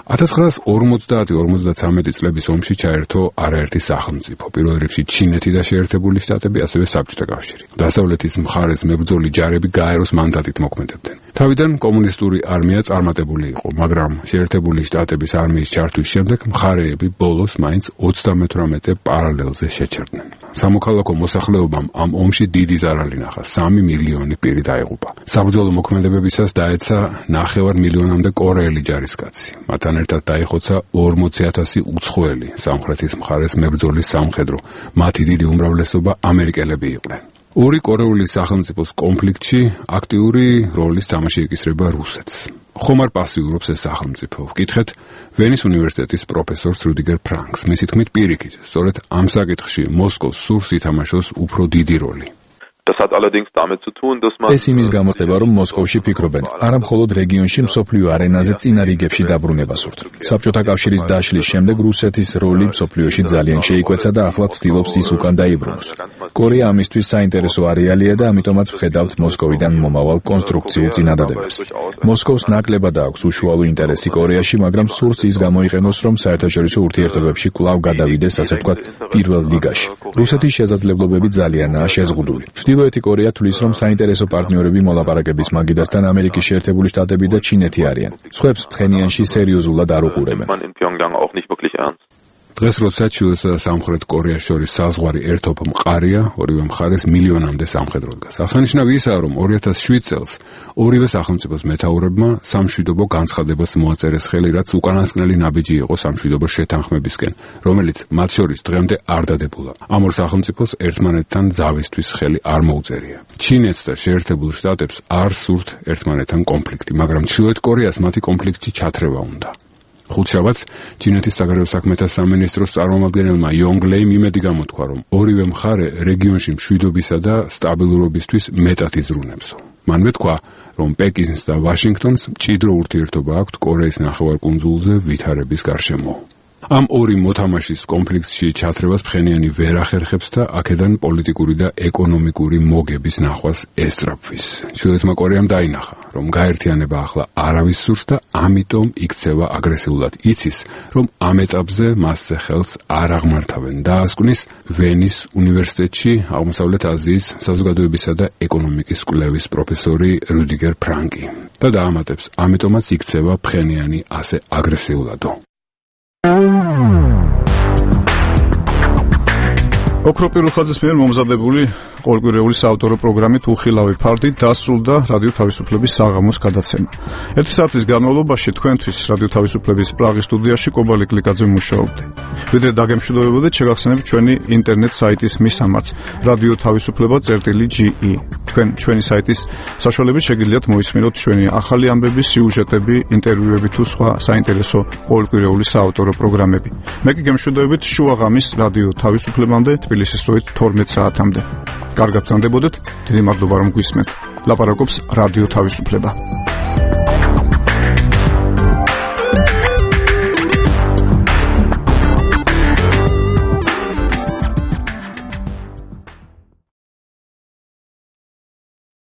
ათას ცხრაასი ორმოცდაათი ორმოცდათვრამეტი წლების ომში ჩაერთო არაერთი სახელმწიფო, პირველ რიგში ჩინეთი და შეერთებული შტატები, ასევე საბჭოთა კავშირი. დასავლეთის მხარეს მებრძოლი ჯარები გაეროს მანდატით მოქმედებდნენ. თავიდან კომუნისტური არმია წარმატებული იყო, მაგრამ შეერთებული შტატების არმიის ჩართვის შემდეგ მხარეები ბოლოს მაინც ოცდამეთვრამეტე პარალელზე შეჩერდნენ. სამოქალაქო მოსახლეობამ ამ ომში დიდი ზარალი ნახა, სამი მილიონი პირი დაიღუპა. საბრძოლო მოქმედებებისას დაეცა ნახევარ მილიონამდე კორეელი ჯარისკაცი. მათთან ერთად დაიხოცა ორმოცი ათასი უცხოელი სამხრეთის მხარეს მებრძოლის სამხედრო, მათი დიდი უმრავლესობა ამერიკელები იყვნენ. ორი კორეული სახელმწიფოს კონფლიქტში აქტიური როლის თამაში ეკისრება რუსეთს. ხომ არ პასიურობს ეს სახელმწიფო? ვკითხეთ ვენის უნივერსიტეტის პროფესორს რუდიგერ ფრანკს. მისი თქმით, პირიქით, სწორედ ამ საკითხში მოსკოვს სურს ითამაშოს უფრო დიდი როლი. Das hat allerdings damit zu tun, dass man ეს იმის გამო ხდება, რომ მოსკოვში ფიქრობენ, არა მხოლოდ რეგიონში, მსოფლიო არენაზე წინა რიგებში დაბრუნება სურთ. საბჭოთა კავშირის დაშლის შემდეგ რუსეთის როლი მსოფლიოში ძალიან შეიკვეცა და ახლა ცდილობს ის უკან დაიბრუნოს. კორეა ამისთვის საინტერესო არეალია და ამიტომაც ვხედავთ მოსკოვიდან მომავალ კონსტრუქციულ წინადადებებს. მოსკოვს ნაკლებად აქვს უშუალო ინტერესი კორეაში, მაგრამ სურს ის გამოიყენოს, რომ საერთაშორისო ურთიერთობებში კვლავ გადავიდეს, ასე ვთქვათ, პირველ ლიგაში. რუსეთის შესაძლებლობები ძალიანაა შეზღუდული. ჩრდილოეთი კორეა თვლის, რომ საინტერესო პარტნიორები მოლაპარაკების მაგიდასთან ამერიკის შეერთებული შტატები და ჩინეთი არიან. სხვებს ფხენიანში სერიოზულად არ უყურებენ. დღეს როცა ჩრდილოეთსა და სამხრეთ კორეას შორის საზღვარი ერთობ მყარია, ორივე მხარეს მილიონამდე სამხედრო დგას. აღსანიშნავი ისაა, რომ ორი ათას შვიდ წელს ორივე სახელმწიფოს მეთაურებმა სამშვიდობო განცხადებას მოაწერეს ხელი, რაც უკანასკნელი ნაბიჯი იყო სამშვიდობო შეთანხმებისკენ, რომელიც მათ შორის დღემდე არ დადებულა. ამ ორ სახელმწიფოს ერთმანეთთან ზავისთვის ხელი არ მოუწერია. ჩინეთს და შეერთებულ შტატებს არ სურთ ერთმანეთთან კონფლიქტი, მაგრამ ჩრდილოეთ კორეას მათი კონფლიქტში ჩათრევა უნდა. ხუთშაბათს ჩინეთის საგარეო საქმეთა სამინისტროს წარმომადგენელმა იონგ ლეიმ იმედი გამოთქვა, რომ ორივე მხარე რეგიონში მშვიდობისა და სტაბილურობისთვის მეტად იზრუნებსო. მან მეთქვა, რომ პეკინს და ვაშინგტონს მჭიდრო ურთიერთობა აქვთ კორეის ნახევარკუნძულზე ვითარების გარშემო. ამ ორი მოთამაშის კონფლიქტში ჩათრებას ფხენიანი ვერ ახერხებს და აქედან პოლიტიკური და ეკონომიკური მოგების ნახვას ესწრაფვის. ჩრდილოეთმა კორეამ დაინახა, რომ გაერთიანება ახლა არავის სურს და ამიტომ იქცევა აგრესიულად. იცის, რომ ამ ეტაპზე მასზე ხელს არ აღმართავენ. დაასკვნის ვენის უნივერსიტეტში აღმოსავლეთ აზიის საზოგადოებისა და ეკონომიკის კვლევის პროფესორი რუდიგერ ფრანკი და დაამატებს, ამიტომაც იქცევა ფხენიანი ასე აგრესიულადო. ოქროპირუხაძის მიერ მომზადებული ყოველკვირეული საავტორო პროგრამით უხილავი ფარდი დასრულდა რადიო თავისუფლების საღამოს გადაცემა. ერთი საათის განმავლობაში თქვენთვის რადიო თავისუფლების პრაღის სტუდიაში კობალი კლიკაძე მუშაობდა. ვიდრე დაგემშვიდობებოდეთ, შეგახსენებთ ჩვენი ინტერნეტ საიტის მისამართს რადიო თავისუფლება წერტილი ჯი ი. თქვენ ჩვენი საიტის საშუალებით შეგიძლიათ მოისმინოთ ჩვენი ახალი ამბები, სიუჟეტები, ინტერვიუები თუ სხვა საინტერესო ყოველკვირეული საავტორო პროგრამები. მე კი გემშვიდობებით შუაღამის რადიო თავისუფლებამდე თბილისის დროით თორმეტ საათამდე. კარგად გრძანდებოდეთ, დიდი მადლობა რომ გვისმენთ. ლაპარაკობს რადიო თავისუფლება.